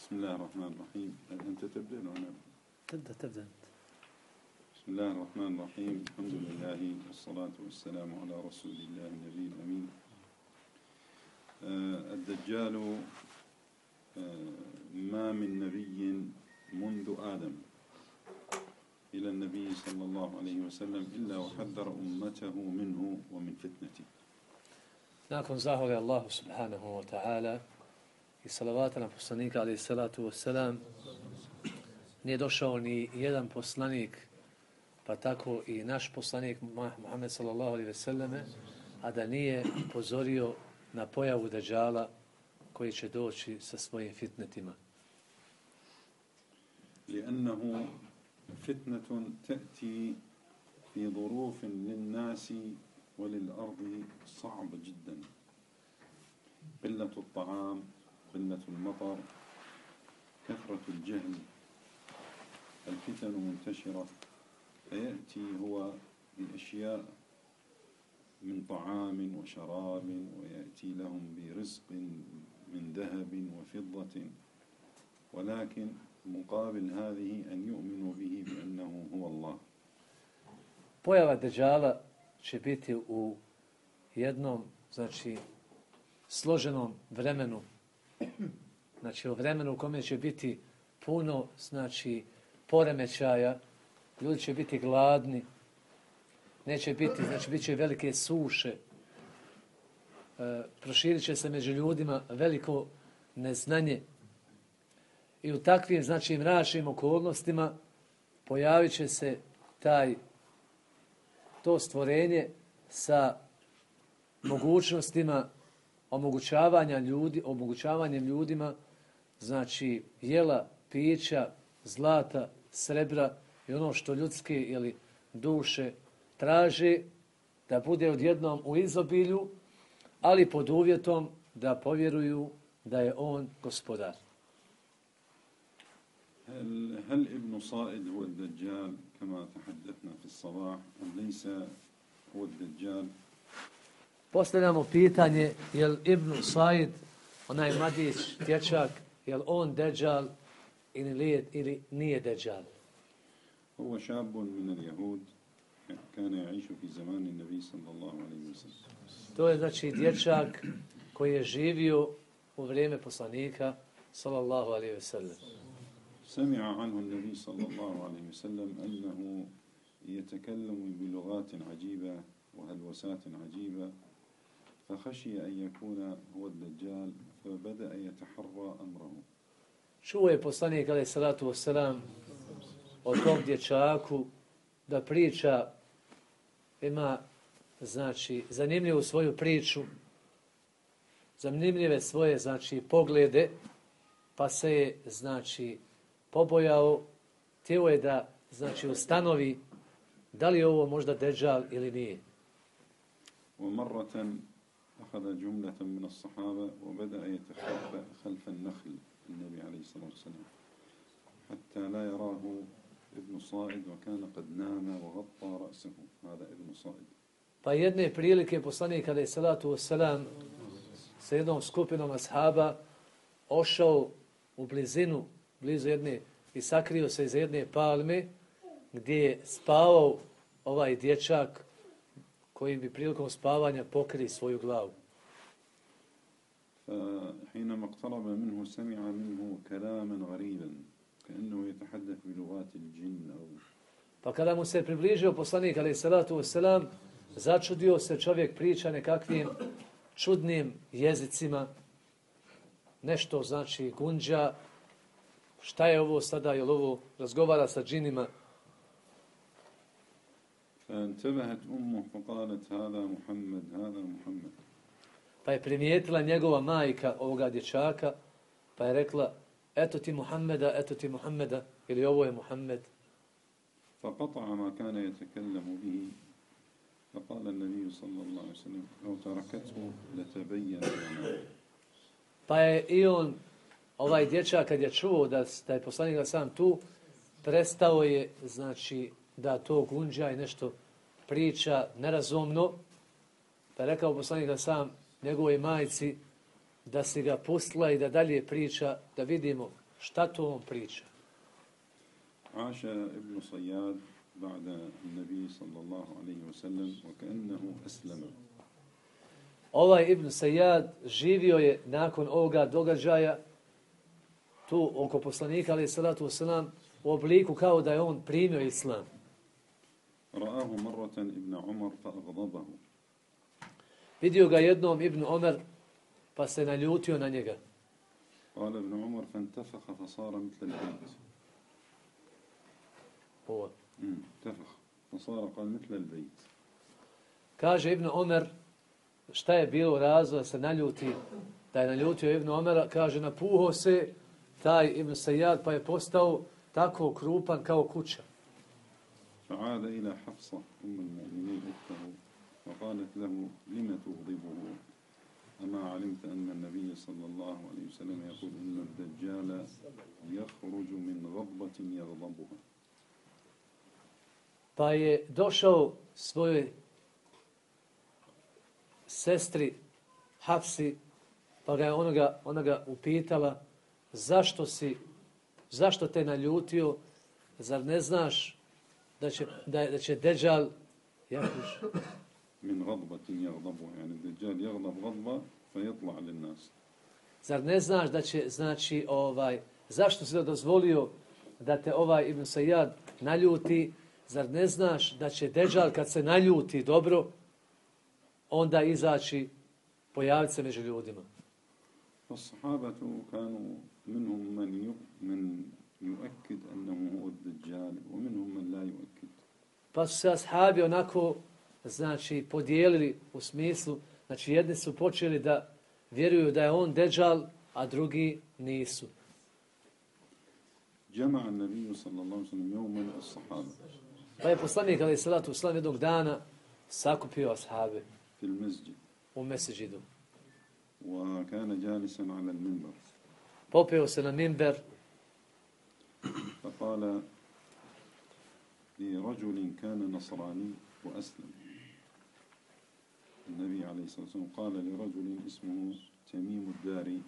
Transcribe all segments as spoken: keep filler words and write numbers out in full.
بسم الله الرحمن الرحيم. أنت تبدأ وأنا تبدأ تبدأ أنت. بسم الله الرحمن الرحيم. الحمد لله والصلاة والسلام على رسول الله النبي الأمين. آه الدجال آه ما من نبي منذ آدم إلى النبي صلى الله عليه وسلم إلا وحذر أمته منه ومن فتنته. Nakon zahvali Allahu subhanahu wa ta'ala i salavata na poslanika alaihi salatu wassalam, nije došao ni jedan poslanik, pa tako i naš poslanik Muhammed sallallahu alaihi wasallame, a da nije upozorio na pojavu Dajjala koji će doći sa svojim fitnetima. لأنه فتنة تأتي في ظروف للناس وللأرض صعبة جدا. قلة الطعام، قلة المطر، كثرة الجهل، الفتن منتشرة، فيأتي هو بأشياء من طعام وشراب، ويأتي لهم برزق من ذهب وفضة، ولكن مقابل هذه أن يؤمنوا به بأنه هو الله. Pojava Dajjala će biti u jednom, znači, složenom vremenu. Znači, u vremenu u kome će biti puno, znači, poremećaja, ljudi će biti gladni, neće biti, znači, bit će velike suše, e, proširit će se među ljudima veliko neznanje i u takvim, znači, mračnim okolnostima pojavit će se taj to stvorenje sa mogućnostima omogućavanja ljudi, omogućavanjem ljudima, znači jela, pića, zlata, srebra i ono što ljudske ili duše traže da bude odjednom u izobilju, ali pod uvjetom da povjeruju da je on gospodar. هل هل ابن صائد هو الدجال كما تحدثنا في الصباح أم ليس هو الدجال؟ Postavljamo pitanje, je li Ibn Said, onaj mladić, dječak, je li on Dajjal ili, ili nije Dajjal? هو شاب من اليهود كان يعيش في زمان النبي صلى الله عليه وسلم. To je znači dječak koji je živio u vrijeme poslanika sallallahu alejhi ve sellem. سمع عنه النبي صلى الله عليه وسلم أنه يتكلم بلغات عجيبة وهلوسات عجيبة، فخشي أن يكون هو الدجال فبدأ يتحرى أمره. Čuo je poslanik alejhi salatu vesselam o tom dječaku da priča, ima znači zanimljivu svoju priču, zanimljive svoje znači poglede, pa se je znači pobojao, htio je da znači ustanovi da li je ovo možda Dajjal ili nije. ومرة أخذ جملة من الصحابة وبدأ يتخبأ خلف النخل النبي عليه الصلاة والسلام حتى لا يراه ابن صائد وكان قد نام وغطى رأسه. هذا ابن صائد. Pa jedne prilike poslanik alejhi salatu vesselam sa jednom skupinom ashaba ošao u blizinu, blizu jedne, i sakrio se iz jedne palme gdje je spavao ovaj dječak koji bi prilikom spavanja pokri svoju glavu. فحينما اقترب منه سمع منه كلاما غريبا كأنه يتحدث بلغات الجن أو. Pa kada mu se približio poslanik alejhi salatu vesselam, začudio se, čovjek priča nekakvim čudnim jezicima, nešto znači gunđa, šta je ovo sada, je li ovo razgovara sa džinima. فانتبهت أمه فقالت هذا محمد هذا محمد. Pa je primijetila njegova majka ovoga dječaka, pa je rekla, eto ti Muhammeda, eto ti Muhammeda, ili ovo je Muhammed. فقطع ما كان يتكلم به فقال النبي صلى الله عليه وسلم لو تركته لتبين لنا. Pa je i on, ovaj dječak, kad je čuo da, da je poslanik sam tu, prestao je, znači, da to gunđa i nešto priča nerazumno, pa je rekao poslanik sam njegovoj majci da si ga pustila i da dalje priča, da vidimo šta to on priča. عاش ابن صياد بعد النبي صلى الله عليه وسلم وكأنه أسلم. Ovaj Ibn Sajjad živio je nakon ovoga događaja tu oko poslanika, alejhi salatu vesselam, u obliku kao da je on primio islam. رآه مرة ابن عمر فأغضبه. Vidio ga jednom Ibn Omer, pa se naljutio na njega. قال ابن عمر فانتفخ فصار مثل البيت. Ovo. انتفخ فصار قال مثل البيت. Kaže Ibn Omer, šta je bilo razlog da se naljuti, da je naljutio Ibn Omera, kaže napuhao se taj Ibn Sajjad pa je postao tako krupan kao kuća. فعاد إلى حفصة أم المؤمنين أخته وقالت له لم تغضبه أما علمت أن النبي صلى الله عليه وسلم يقول إن الدجال يخرج من غضبة يغضبها. Pa je došao svojoj sestri Hafsi, pa ga je onoga, onoga upitala zašto si, zašto te naljutio, zar ne znaš da će, da, da će Deđal jakuš, من غضبة يغضبها يعني الدجال يغضب غضبة فيطلع للناس. Zar ne znaš da će, znači, ovaj, zašto si dozvolio da te ovaj Ibn Sajjad naljuti, zar ne znaš da će Deđal kad se naljuti dobro, onda izaći, pojaviti se među ljudima. فالصحابة كانوا منهم من من يؤكد أنه هو الدجال ومنهم من لا يؤكد. Pa su se ashabi onako, znači, podijelili u smislu, znači jedni su počeli da vjeruju da je on Deđal, a drugi nisu. جمع النبي صلى الله عليه وسلم يوما الصحابة. Pa je poslanik alejhi salatu vesselam jednog dana sakupio ashabe في المسجد. u meseđidu. وكان جالسا على المنبر. Popeo se na minber فقال لرجل كان نصراني وأسلم. النبي عليه الصلاة والسلام قال لرجل اسمه تميم الداري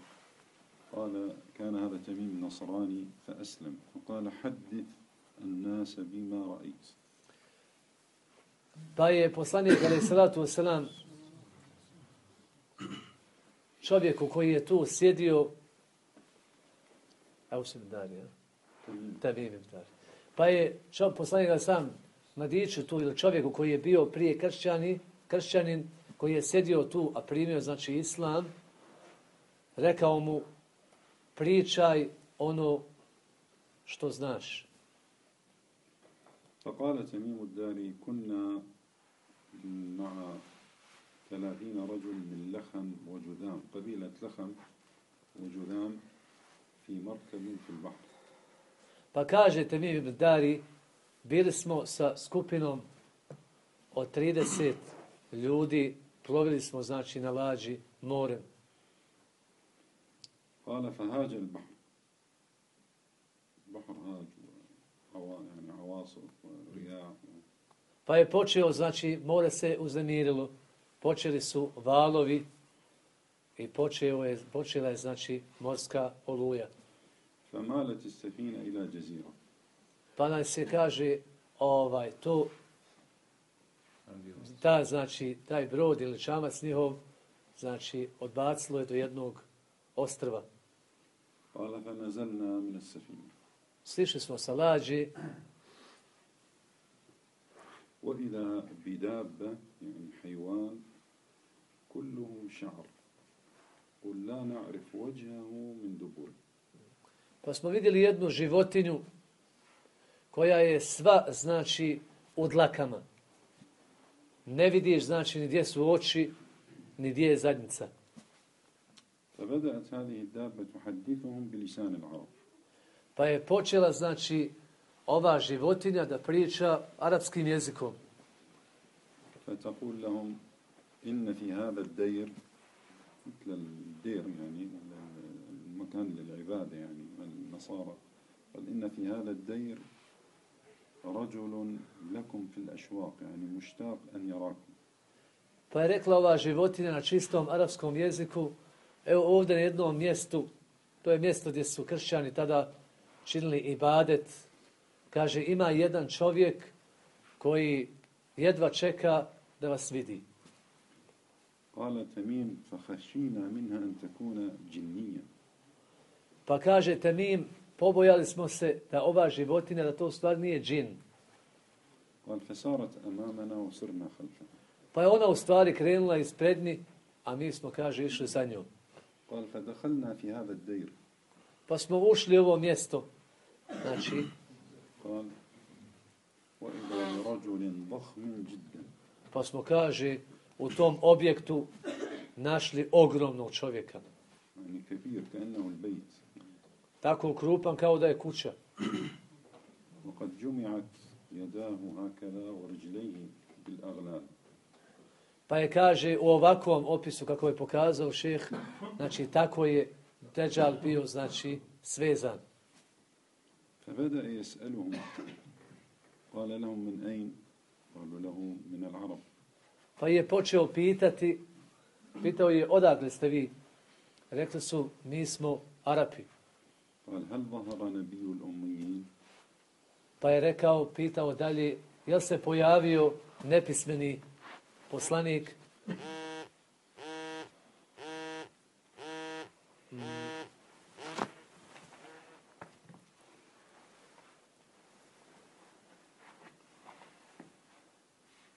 قال كان هذا تميم نصراني فأسلم فقال حدث الناس بما رأيت. Pa je poslanik alejhi salatu vesselam čovjeku koji je tu sjedio, a u sebi Darija, Tamim Dar. Pa je čo, poslanik ga sam mladiću tu ili čovjeku koji je bio prije kršćani, kršćanin koji je sjedio tu, a primio znači islam, rekao mu pričaj ono što znaš. فقال تميم الداري كنا مع ثلاثين رجل من لخم وجذام قبيلة لخم وجذام في مركب في البحر. Pa kaže Tamim ibn Dari, bili smo sa skupinom od trideset ljudi, plovili smo znači na lađi morem. قال فهاج البحر البحر هاج يعني عواصف ورياح. Pa je počeo, znači, more se uznemirilo, počeli su valovi i počeo je, počela je, znači, morska oluja. فمالت السفينة إلى جزيرة. Pa nam se kaže, ovaj, to, ta, znači, taj brod ili čamac njihov, znači, odbacilo je do jednog ostrva. قال فنزلنا من السفينة. Slišli smo sa lađi, وإذا بدابة يعني حيوان كله شعر قل لا نعرف وجهه من دبر. pa smo vidjeli jednu životinju koja je sva, znači, u dlakama. Ne vidiš, znači, ni gdje su oči, ni gdje je zadnjica. فبدأت هذه الدابة تحدثهم بلسان العرب. Pa je počela, znači, ova životinja da priča arapskim jezikom. فتقول لهم إن في هذا الدير مثل الدير يعني المكان للعبادة يعني النصارى قال إن في هذا الدير رجل لكم في الأشواق يعني مشتاق أن يراكم. Pa je rekla ova životinja na čistom arapskom jeziku, evo ovdje na jednom mjestu to je mjesto gdje su kršćani tada činili ibadet. Kaže, ima jedan čovjek koji jedva čeka da vas vidi. قال تميم فخشينا منها أن تكون جنية. Pa kaže Temim, pobojali smo se da ova životinja, da to u stvari nije džin. قال فسارت أمامنا وسرنا خلفها. Pa je ona u stvari krenula isprednji, a mi smo, kaže, išli za njom. قال فدخلنا في هذا الدير. Pa smo ušli u ovo mjesto. Znači, قال وإذا برجل ضخم جدا. pa smo, kaže, u tom objektu našli ogromnog čovjeka. يعني كبير كأنه البيت. Tako krupan kao da je kuća. وقد جمعت يداه هكذا ورجليه بالأغلال. Pa je, kaže, u ovakvom opisu, kako je pokazao šejh, znači, tako je Deđal bio, znači, svezan. فبدأ يسألهم قال لهم من أين؟ قالوا له من العرب. Pa je počeo pitati, pitao je, odakle ste vi? Rekli su, mi smo Arapi. قال هل ظهر نبي الأميين؟ Pa je rekao, pitao dalje, jel se pojavio nepismeni poslanik?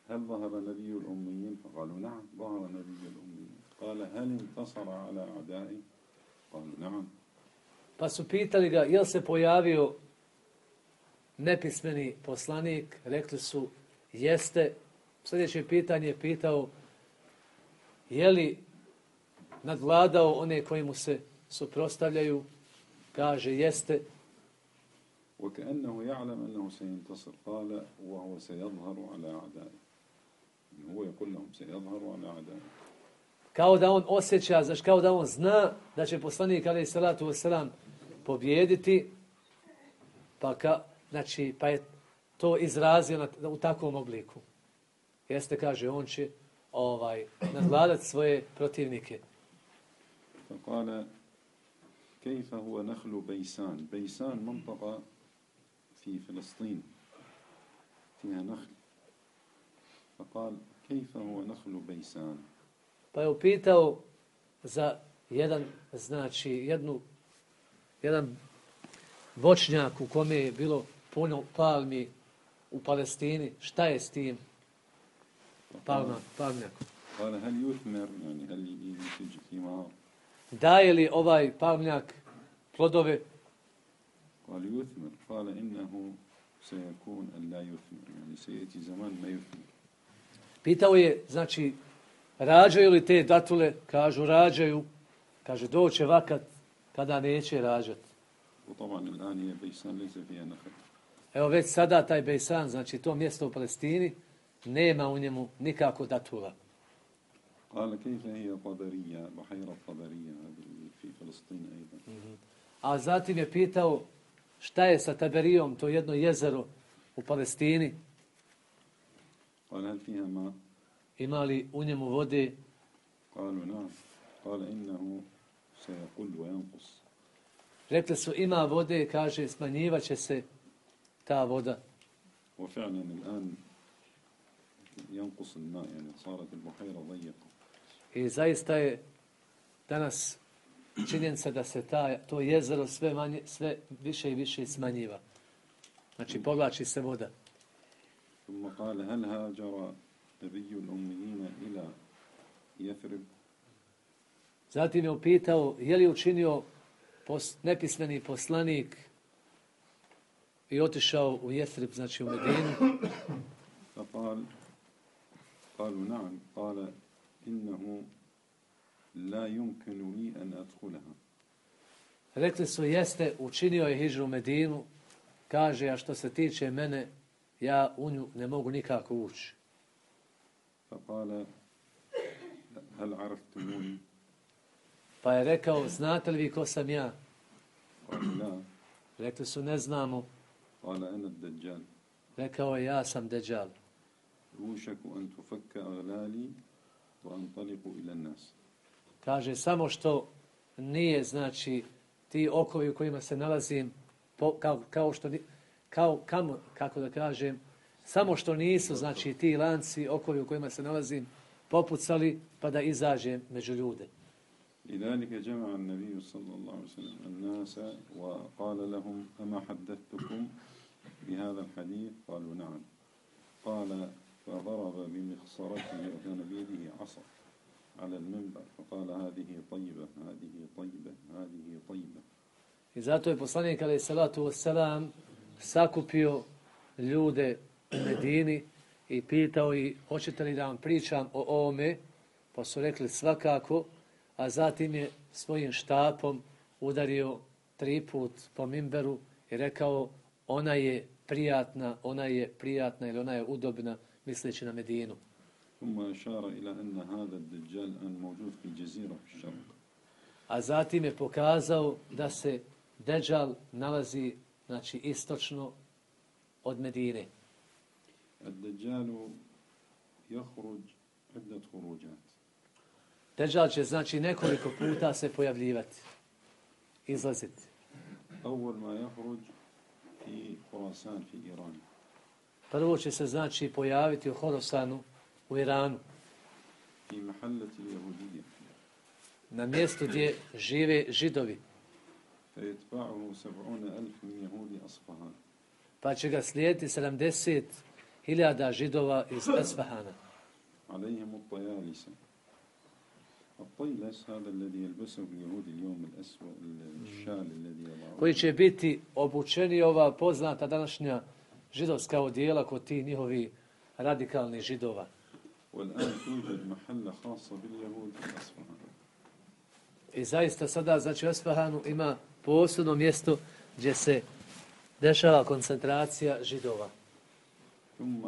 هل ظهر نبي الأميين؟ فقالوا نعم ظهر نبي الأميين. قال هل انتصر على أعدائه؟ قالوا نعم. Pa su pitali ga, jel se pojavio nepismeni poslanik? Rekli su, jeste. Sljedeće pitanje je pitao, je li nadvladao one koji mu se suprotstavljaju? Kaže, jeste. وكأنه يعلم أنه سينتصر قال وهو سيظهر على أعدائه. هو يقول لهم سيظهر على أعدائه. Kao da on osjeća, znači kao da on zna da će poslanik alejhi salatu vesselam pobijediti, pa, ka, znači, pa je to izrazio na, u takvom obliku. Jeste, kaže, on će ovaj, nadvladati svoje protivnike. فقال كيف هو نخل بيسان؟ بيسان منطقة في فلسطين فيها نخل. فقال كيف هو نخل بيسان؟ Pa je upitao za jedan, znači, jednu, jedan voćnjak u kome je bilo puno palmi u Palestini. Šta je s tim palma, palmnjakom? قال هل يثمر يعني هل ينتج ثمار؟ Daje li ovaj palmnjak plodove? قال يثمر. قال إنه سيكون أن لا يثمر يعني سيأتي زمان ما يثمر. Pitao je, znači, rađaju li te datule? Kažu, rađaju. Kaže, doće vakat kada neće rađati. وطبعا الآن هي بيسان ليس فيها نخل. Evo već sada taj Bejsan, znači to mjesto u Palestini, nema u njemu nikako datula. قال كيف هي طبرية بحيرة طبرية هذه في فلسطين أيضا. A zatim je pitao šta je sa Taberijom, to jedno jezero u Palestini. قال هل فيها ماء؟ Ima li u njemu vode? قالوا نعم. قال إنه سيقل وينقص. Rekli su, ima vode, kaže, smanjivaće se ta voda. وفعلا الآن ينقص الماء يعني صارت البحيرة ضيقة. I zaista je danas činjenica da se ta, to jezero sve, manje, sve više i više smanjiva. Znači, povlači se voda. ثم قال هل هاجر نبي الأميين إلى يثرب؟ Zatim je upitao, je li učinio pos, nepismeni poslanik i otišao u Jethrib, znači u Medinu. فقال قالوا نعم. قال إنه لا يمكن لي أن أدخلها. Rekli su, jeste, učinio je hidžru u Medinu. Kaže, a što se tiče mene, ja u nju ne mogu nikako ući. فقال هل عرفتموني؟ Pa je rekao, znate li vi ko sam ja? قالوا لا. Rekli su, ne znamo. قال أنا الدجال. Rekao je, ja sam Deđal. يوشك أن تفك أغلالي وأنطلق إلى الناس. Kaže, samo što nije, znači, ti okovi u kojima se nalazim, po, kao, kao što, kao, kamo, kako da kažem, samo što nisu, znači, ti lanci, okovi u kojima se nalazim, popucali, pa da izađem među ljude. لذلك جمع النبي صلى الله عليه وسلم الناس وقال لهم أما حدثتكم بهذا الحديث؟ قالوا نعم. قال فضرب بمخصرته وكان بيده عصا على المنبر فقال هذه طيبة هذه طيبة هذه طيبة. I zato je poslanik alejhi salatu vesselam sakupio ljude u Medini i pitao ih hoćete li da vam pričam o ovome, pa su rekli svakako, a zatim je svojim štapom udario tri put po mimberu i rekao ona je prijatna, ona je prijatna ili ona je udobna, misleći na Medinu. ثم أشار إلى أن هذا الدجال أن موجود في الجزيرة في الشرق. A zatim je pokazao da se Dejjal nalazi, znači, istočno od Medine. الدجال يخرج عدة خروجات. Dejjal će, znači, nekoliko puta se pojavljivati, izlaziti. أول ما يخرج في خراسان في إيران. Prvo će se, znači, pojaviti u Horasanu u Iranu. في محلة اليهودية. Na mjestu gdje žive Židovi. فيتبعه سبعون ألف من يهود أصفهان. Pa će ga slijediti sedamdeset hiljada Židova iz Asfahana. عليهم الطيالسة. الطيلس هذا الذي يلبسه اليهود اليوم الأسود الشال الذي يضعه. Koji će biti obučeni ova poznata današnja židovska odijela kod tih njihovi radikalnih Židova. والآن توجد محلة خاصة باليهود في أصفهان. I zaista sada, znači, u Asfahanu ima posebno mjesto gdje se dešava koncentracija Židova. ثم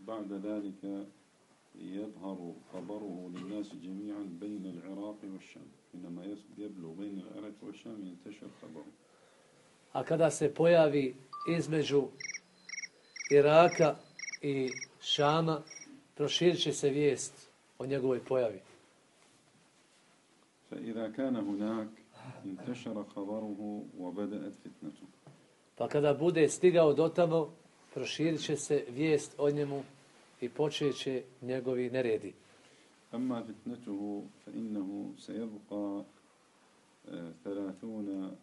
بعد ذلك يظهر خبره للناس جميعا بين العراق والشام. حينما يبلغ بين العراق والشام ينتشر خبره. A kada se pojavi između Iraka i Šama, proširit će se vijest o njegovoj pojavi. فإذا كان هناك انتشر خبره وبدأت فتنته. Pa kada bude stigao dotamo, proširit će se vijest o njemu i počet će njegovi neredi. أما فتنته فإنه سيبقى ثلاثون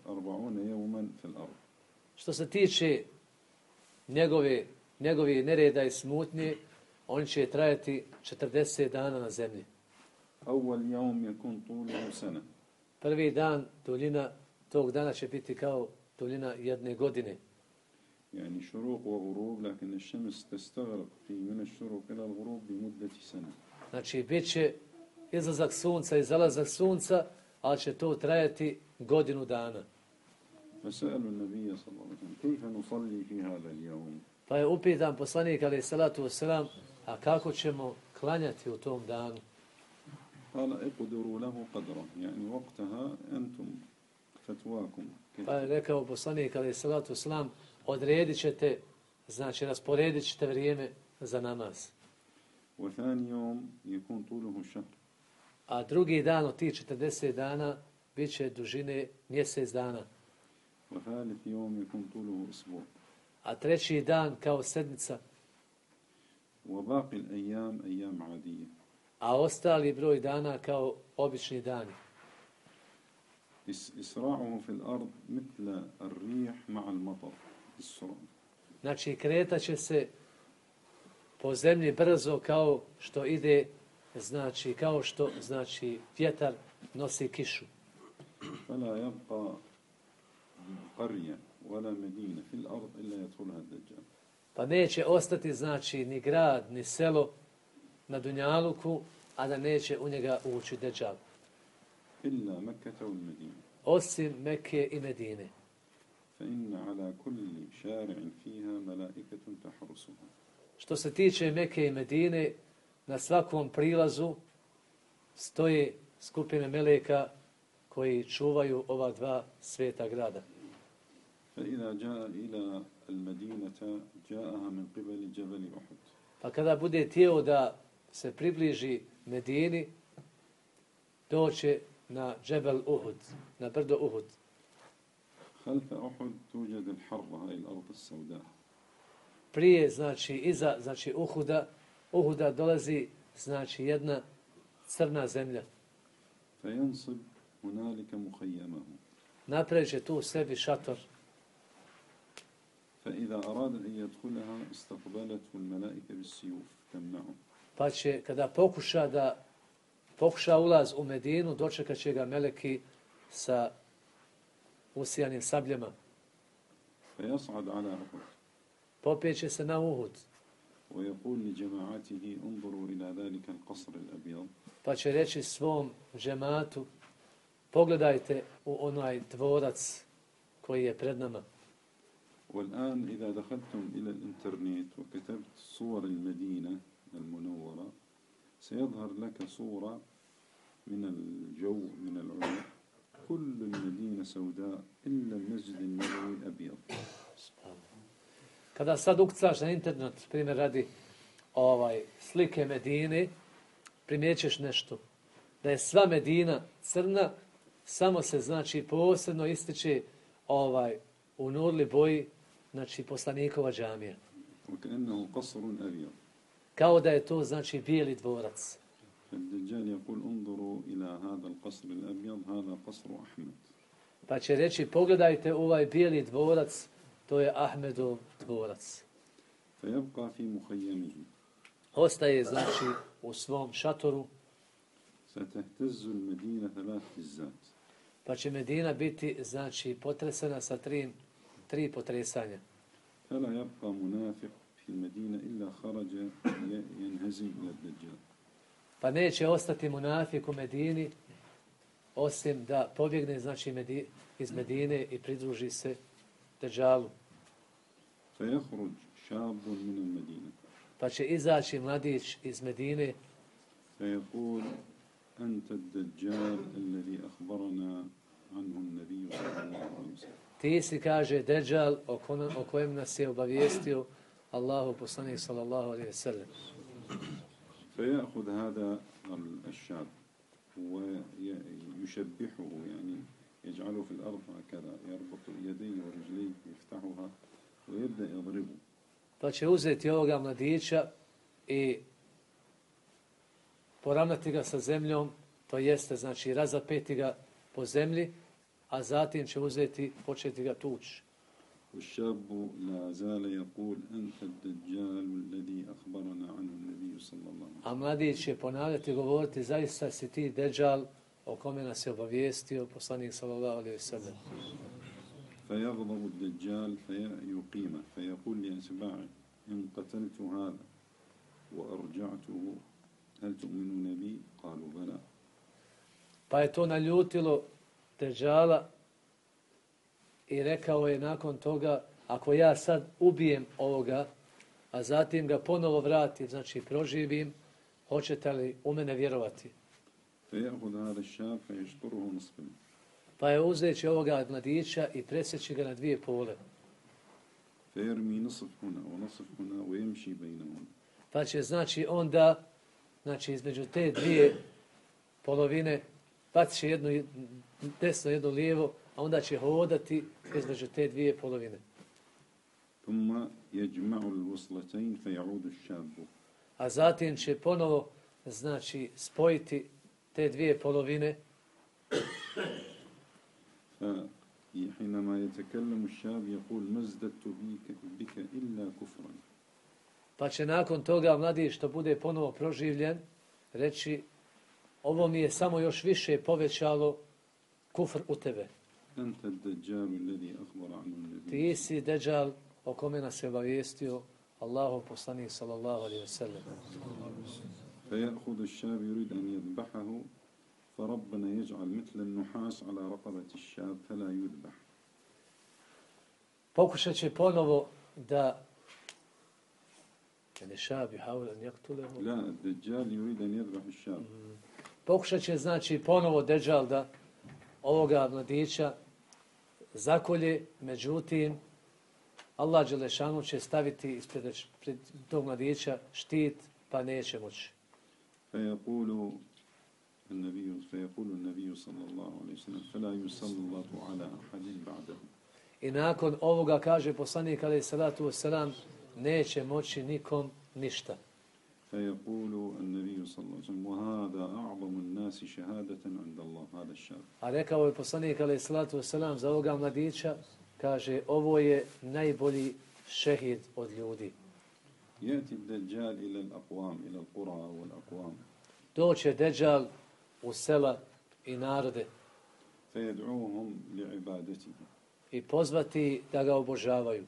أربعون يوما في الأرض. Što se tiče njegove, njegovi nereda i smutnje, on će trajati četrdeset dana na zemlji. أول يوم يكون طوله سنة. Prvi dan, duljina tog dana će biti kao duljina jedne godine. يعني شروق وغروب لكن الشمس تستغرق في من الشروق إلى الغروب بمدة سنة. Znači, bit će izlazak sunca i zalazak sunca, ali će to trajati godinu dana. فسألوا النبي صلى الله عليه وسلم كيف نصلي في هذا اليوم؟ Pa je upitan poslanik alejhi salatu vesselam, a kako ćemo klanjati u tom danu? قال اقدروا له قدره يعني وقتها أنتم فتواكم. Pa je rekao poslanik alejhi salatu vesselam, odredit ćete, znači rasporedit ćete vrijeme za namaz. وثاني يوم يكون طوله شهر. A drugi dan od tih četrdeset dana bit će dužine mjesec dana. وثالث يوم يكون طوله أسبوع. A treći dan kao sedmica. وباقي الأيام أيام عادية. A ostali broj dana kao obični dani. إسراعه في الأرض مثل الريح مع المطر. السرعة. Znači, kretaće se po zemlji brzo kao što ide, znači, kao što, znači, vjetar nosi kišu. فلا يبقى قرية ولا مدينة في الأرض إلا يدخلها الدجال. Pa neće ostati, znači, ni grad, ni selo na Dunjaluku, a da neće u njega ući Dejjal. إلا مكة والمدينة. Osim Mekke i Medine. فإن على كل شارع فيها ملائكة تحرسها. Što se tiče Mekke i Medine, na svakom prilazu stoje skupine meleka koji čuvaju ova dva sveta grada. فإذا جاء إلى المدينة جاءها من قبل جبل أحد. Pa kada bude htio da se približi Medini, doće na Džebel Uhud, na brdo Uhud. خلف أحد توجد الحرة هاي الأرض السوداء. Prije, znači, iza, znači, Uhuda, Uhuda dolazi, znači, jedna crna zemlja. فينصب هنالك مخيمه. Napreće tu sebi šator. فإذا أراد أن يدخلها استقبلته الملائكة بالسيوف تمنعه. Pa će, kada pokuša da pokuša ulaz u Medinu, dočekat će ga meleki sa usijanim sabljama. فيصعد على أحد. Popjeće se na Uhud. ويقول لجماعته انظروا إلى ذلك القصر الأبيض. Pa će reći svom džematu, pogledajte u onaj dvorac koji je pred nama. والآن إذا دخلتم إلى الإنترنت وكتبت صور المدينة المنورة سيظهر لك صورة من الجو من العلا كل المدينة سوداء إلا المسجد النبوي أبيض. Kada sad ukucaš na internet, primjer radi ovaj, slike Medine, primjećeš nešto. Da je sva Medina crna, samo se znači posebno ističe ovaj, u nurli boji, znači poslanikova džamija. وكأنه قصر أبيض. Kao da je to znači bijeli dvorac. فالدجال يقول انظروا إلى هذا القصر الأبيض هذا قصر أحمد. Pa će reći, pogledajte ovaj bijeli dvorac, to je Ahmedov dvorac. فيبقى في مخيمه. Ostaje znači u svom šatoru. ستهتز المدينة ثلاث هزات. Pa će Medina biti znači potresena sa tri, tri potresanja. فلا يبقى منافق في المدينة إلا خرج ينهزم إلى الدجال. Pa neće ostati munafik u Medini, osim da pobjegne znači Medi, iz Medine i pridruži se Dejjalu. فيخرج شاب من المدينة. Pa će izaći mladić iz Medine. فيقول أنت الدجال الذي أخبرنا عنه النبي صلى الله عليه وسلم. Ti si, kaže, Dejjal o, kon, o kojem nas je obavijestio Allahu poslanik sallallahu alejhi ve sellem. فيأخذ هذا الشاب ويشبحه يعني يجعله في الأرض هكذا يربط يديه ورجليه يفتحها ويبدأ يضربه. Pa će uzeti ovoga mladića i poravnati ga sa zemljom, to jeste, znači razapeti ga po zemlji, a zatim će uzeti, početi ga tući. والشاب لا زال يقول أنت الدجال الذي أخبرنا عنه النبي صلى الله عليه وسلم. A mladić će ponavljati i govoriti, zaista si ti Dejjal o kome nas je obavijestio poslanik sallallahu alejhi ve sellem. فيغضب الدجال فيقيمه فيقول لأتباعه إن قتلت هذا وأرجعته هل تؤمنون بي؟ قالوا بلى. Pa je to naljutilo Dejjala i rekao je nakon toga, ako ja sad ubijem ovoga, a zatim ga ponovo vratim, znači proživim, hoćete li u mene vjerovati? فيأخذ هذا الشاب فيشطره نصفين. Pa je uzeći ovoga mladića i presjeći ga na dvije pole. فيرمي نصف هنا ونصف هنا ويمشي بينهم. Pa će znači onda, znači između te dvije polovine, bacit će jednu desno, jednu lijevo, a onda će hodati između te dvije polovine. ثم يجمع الوصلتين فيعود الشاب. A zatim će ponovo, znači, spojiti te dvije polovine. فحينما يتكلم الشاب يقول ما ازددت بك, بك إلا كفرا. Pa će nakon toga mladić što bude ponovo proživljen reći, ovo mi je samo još više povećalo kufr u tebe. أنت الدجال الذي أخبر عنه النبي. Ti si Dejjal o kome nas je obavijestio Allahu poslanik sallallahu alejhi ve sellem. فيأخذ الشاب يريد أن يذبحه فربنا يجعل مثل النحاس على رقبة الشاب فلا يذبح. Pokušat će ponovo da ne šab يحاول أن يقتله. لا الدجال يريد أن يذبح الشاب. Pokušat će znači ponovo Dejjal da ovoga mladića zakolje, međutim Allah dželešanu će staviti ispred pred tog mladića štit, pa neće moći. فيقول النبي فيقول النبي صلى الله عليه وسلم فلا يسلط على أحد بعده. I nakon ovoga kaže poslanik alejhi salatu vesselam neće moći nikom ništa. فيقول النبي صلى الله عليه وسلم وهذا أعظم الناس شهادة عند الله هذا الشاب. A rekao je poslanik alejhi salatu vesselam za ovoga mladića, kaže ovo je najbolji šehid od ljudi. يأتي الدجال إلى الأقوام إلى القرى والأقوام. Doće Deđal u sela i narode فيدعوهم لعبادته. i pozvati da ga obožavaju.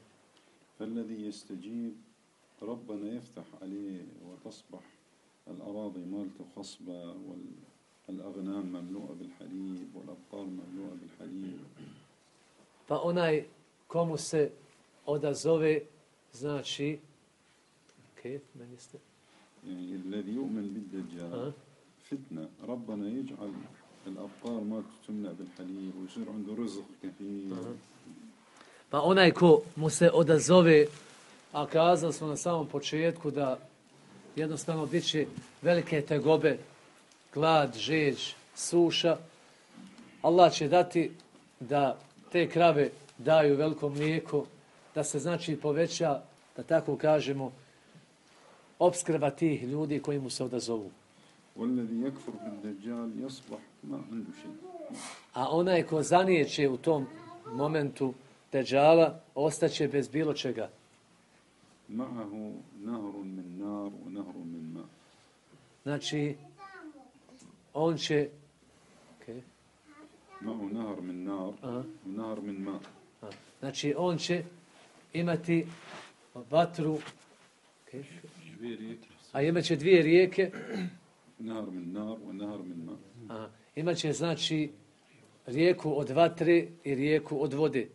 فالذي يستجيب ربنا يفتح عليه وتصبح الأراضي مالته خصبة والأغنام مملوءة بالحليب والأبقار مملوءة بالحليب. Pa onaj komu se odazove, znači, kejf, meni ste? يعني الذي يؤمن بالدجال أه. فتنة ربنا يجعل الأبقار ما تملأ بالحليب ويصير عنده رزق كثير. أه. Pa onaj ko mu se odazove, a kazali smo na samom početku da jednostavno bit će velike tegobe, glad, žeđ, suša, Allah će dati da te krave daju veliko mlijeko, da se znači poveća, da tako kažemo, opskrba tih ljudi koji mu se odazovu. والذي يكفر بالدجال يصبح ما عنده شيء. A onaj ko zanijeće u tom momentu Deđala, ostaće bez bilo čega. معه نهر من نار ونهر من ماء. Znači, on će... Okay. معه نهر من نار ونهر من ماء. Znači, on će imati vatru, okay. a imat će dvije rijeke. نهر من نار ونهر من ماء. A, imat će, znači, rijeku od vatre i rijeku od vode.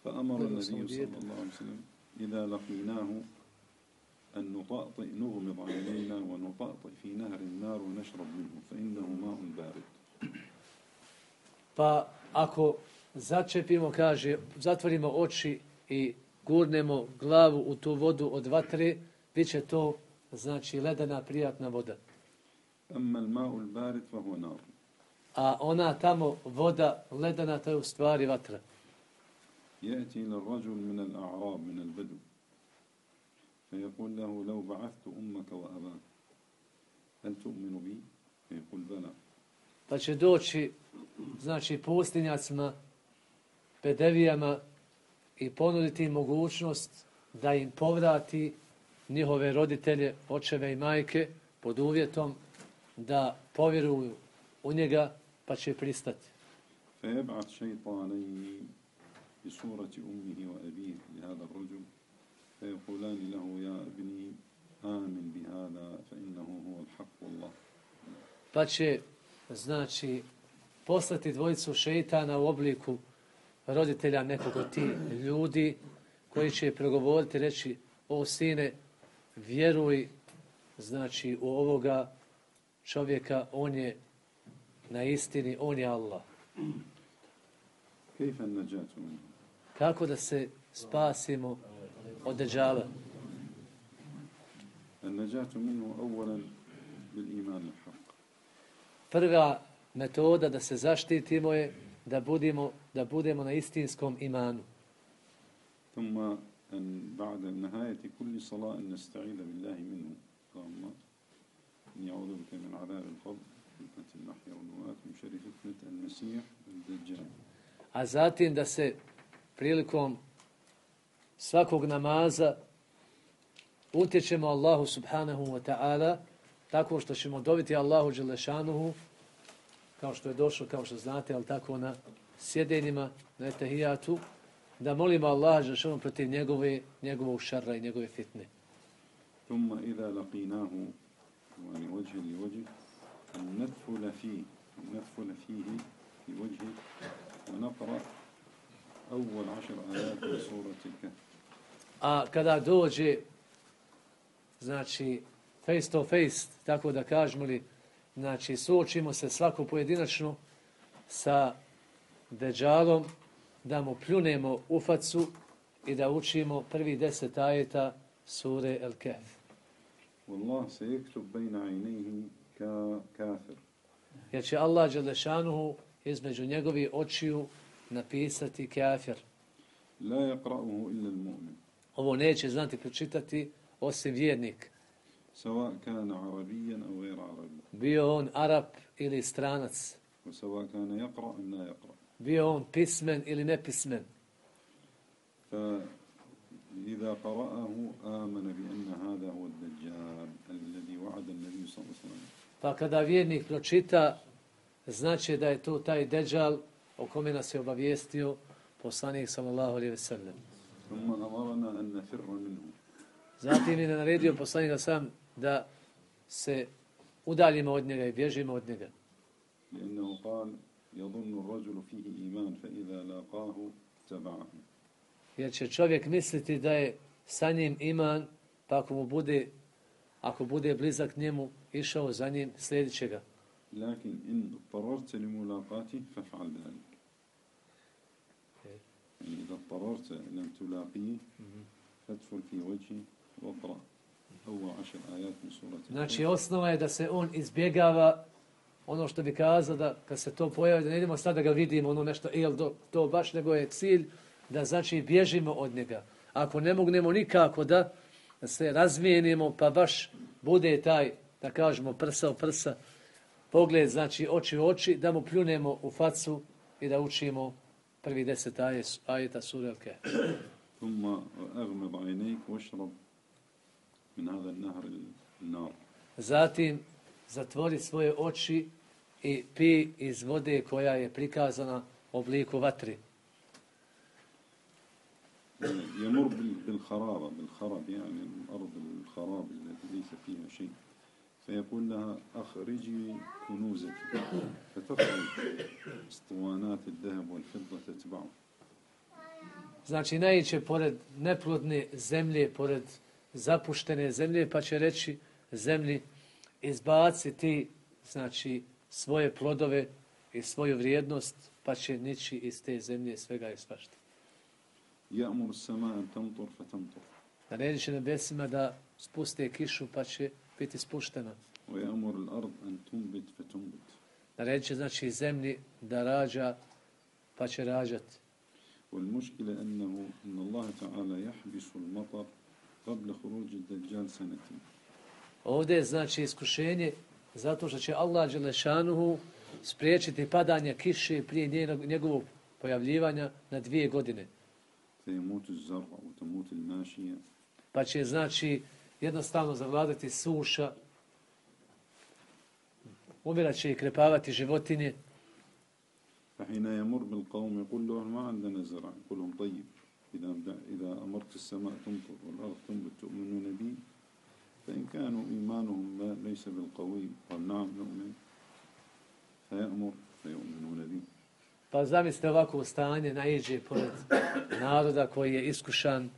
فأمر النبي صلى الله عليه وسلم إذا لقيناه أن نطأطئ نغمض عينينا ونطأطئ في نهر النار ونشرب منه فإنه ماء بارد. Pa ako začepimo, kaže, zatvorimo oči i gurnemo glavu u tu vodu od vatre, bit će to, znači, ledena prijatna voda. أما الماء البارد فهو نار. A ona tamo voda ledena, to je u stvari vatra. يأتي للرجل من الأعراب من البدو فيقول له لو بعثت أمك وأباك هل تؤمن بي؟ فيقول بلى. Pa će doći, znači, pustinjacima, bedevijama i ponuditi im mogućnost da im povrati njihove roditelje, očeve i majke, pod uvjetom da povjeruju u njega, pa će pristati. فيبعث شيطانين بصورة أمه وأبيه لهذا الرجل فيقولان له يا ابني آمن بهذا فإنه هو الحق والله. Pa će, znači, poslati dvojicu šeitana u obliku roditelja nekog od tih ljudi koji će pregovoriti, reći, o sine, vjeruj, znači, u ovoga čovjeka, on je na istini, on je Allah. كيف النجاة منه؟ Kako da se spasimo od Deđala? النجاة منه أولا بالإيمان الحق. Prva metoda da se zaštitimo je da budemo, da budemo na istinskom imanu. ثم أن بعد نهاية كل صلاة أن نستعيذ بالله منه. اللهم إني أعوذ بك من عذاب القبر فتنة المحيا والممات من شر فتنة المسيح الدجال. A zatim da se prilikom svakog namaza utječemo Allahu subhanahu wa ta'ala tako što ćemo dobiti Allahu dželešanuhu, kao što je došlo, kao što znate, ali tako na sjedenjima, na etahijatu, da molimo Allaha dželešanuhu protiv njegove, njegovog šarra i njegove fitne. ثم إذا لقيناه يعني وجه لوجه أن ندخل فيه ندخل فيه في وجهه ونقرأ أول عشر آيات من سورة الكهف. A kada dođe, znači, face to face, tako da kažemo li, znači, suočimo se svako pojedinačno sa Deđalom, da mu pljunemo u facu i da učimo prvi deset ajeta sure El Kehf. والله سيكتب بين عينيه كافر jer će Allah dželešanuhu između njegovih očiju napisati kafir. لا يقرأه إلا المؤمن Ovo neće znati pročitati osim vjernik. سواء كان عربيا أو غير عربي Bio on Arap ili stranac. وسواء كان يقرأ أم لا يقرأ. Bio on pismen ili nepismen. فإذا قرأه آمن بأن هذا هو الدجال الذي وعد النبي صلى الله عليه وسلم. Pa kada vjernik pročita, znači da je to taj deđal o kome nas je obavijestio poslanik sallallahu alejhi ve sellem. ثم أمرنا أن نفر منه. Zatim je naredio poslanik sam da se udaljimo od njega i bježimo od njega. لأنه قال يظن الرجل فيه إيمان فإذا لاقاه تبعه. Jer će čovjek misliti da je sa njim iman, pa ako mu bude, ako bude blizak njemu, išao za njim, slijedit će ga. لكن إن اضطررت لملاقاته فافعل ذلك. يعني إذا اضطررت لم تلاقيه فادخل في وجهه واقرأ أول عشر آيات من سورة. Znači, osnova je da se on izbjegava ono što bi kazao, da kad se to pojavi, da ne idemo sad da ga vidimo, ono nešto, jel to, to baš, nego je cilj da znači bježimo od njega. Ako ne mognemo nikako da se razmijenimo, pa baš bude taj, da kažemo, prsa u prsa, pogled, znači oči u oči, da mu pljunemo u facu i da učimo prvi deset ajeta sure Al-Kahf. ثم أغمض عينيك واشرب من هذا النهر النار. Zatim zatvori svoje oči i pi iz vode koja je prikazana u obliku vatri. يمر بالخرابة بالخرب يعني الأرض الخراب التي ليس فيها شيء فيقول لها أخرجي كنوزك فتخرج اسطوانات الذهب والفضة تتبعه. Znači, naiće pored neplodne zemlje, pored zapuštene zemlje, pa će reći zemlji, izbaciti, znači, svoje plodove i svoju vrijednost, pa će nići iz te zemlje svega i svašta. يأمر السماء أن تمطر فتمطر. Naredit će nebesima da spuste kišu, pa će biti spuštena. ويأمر الأرض أن تنبت فتنبت. Naredit će, znači, zemlji da rađa, pa će rađati. والمشكلة أنه إن الله تعالى يحبس المطر قبل خروج الدجال سنتين. Ovdje je, znači, iskušenje zato što će Allah dželešanuhu spriječiti padanje kiše prije njegovog pojavljivanja na dvije godine. فيموت الزرع وتموت الماشية. Pa će, znači, jednostavno zavladati suša, umirat će i krepavati životinje. فحين يمر بالقوم يقول لهم ما عندنا زرع يقول لهم طيب إذا إذا أمرت السماء تمطر والأرض تنبت تؤمنون بي فإن كانوا إيمانهم ليس بالقوي قال نعم نؤمن فيأمر فيؤمنون بي. Pa zamislite ovako stanje, naiđe pored naroda koji je iskušan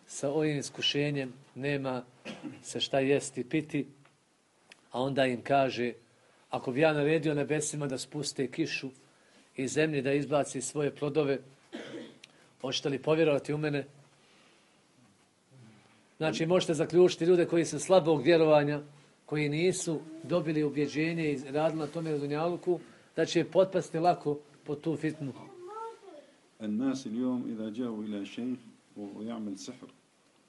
sa ovim iskušenjem, nema se šta jesti, piti, a onda im kaže, ako bi ja naredio nebesima da spuste kišu i zemlji da izbaci svoje plodove, hoćete li povjerovati u mene? Znači, možete zaključiti ljude koji su slabog vjerovanja, koji nisu dobili ubjeđenje i radili na tome na dunjaluku, da će potpasti lako pod tu fitnu. الناس اليوم إذا جاءوا إلى شيخ ويعمل سحر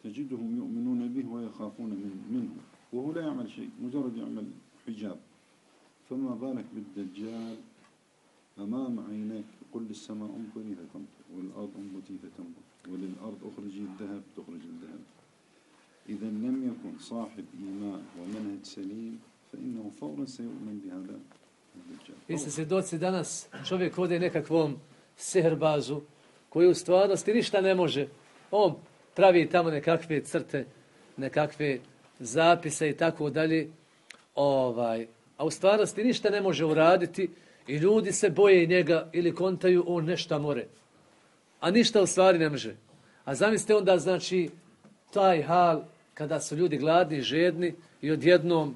تجدهم يؤمنون به ويخافون منه وهو لا يعمل شيء مجرد يعمل حجاب فما بالك بالدجال أمام عينيك يقول للسماء أمطري فتمطر والأرض أنبتي فتنبت وللأرض أخرجي الذهب تخرج الذهب. إذا لم يكن صاحب إيمان ومنهج سليم فإنه فورا سيؤمن بهذا الدجال. Vi ste svjedoci danas, čovjek ode nekakvom sihrbazu koji u stvarnosti ništa ne može. On pravi tamo nekakve crte, nekakve zapise i tako dalje, ovaj, a u stvarnosti ništa ne može uraditi i ljudi se boje njega ili kontaju on nešto more. A ništa u stvari ne može. A zamislite onda, znači, taj hal kada su ljudi gladni i žedni i odjednom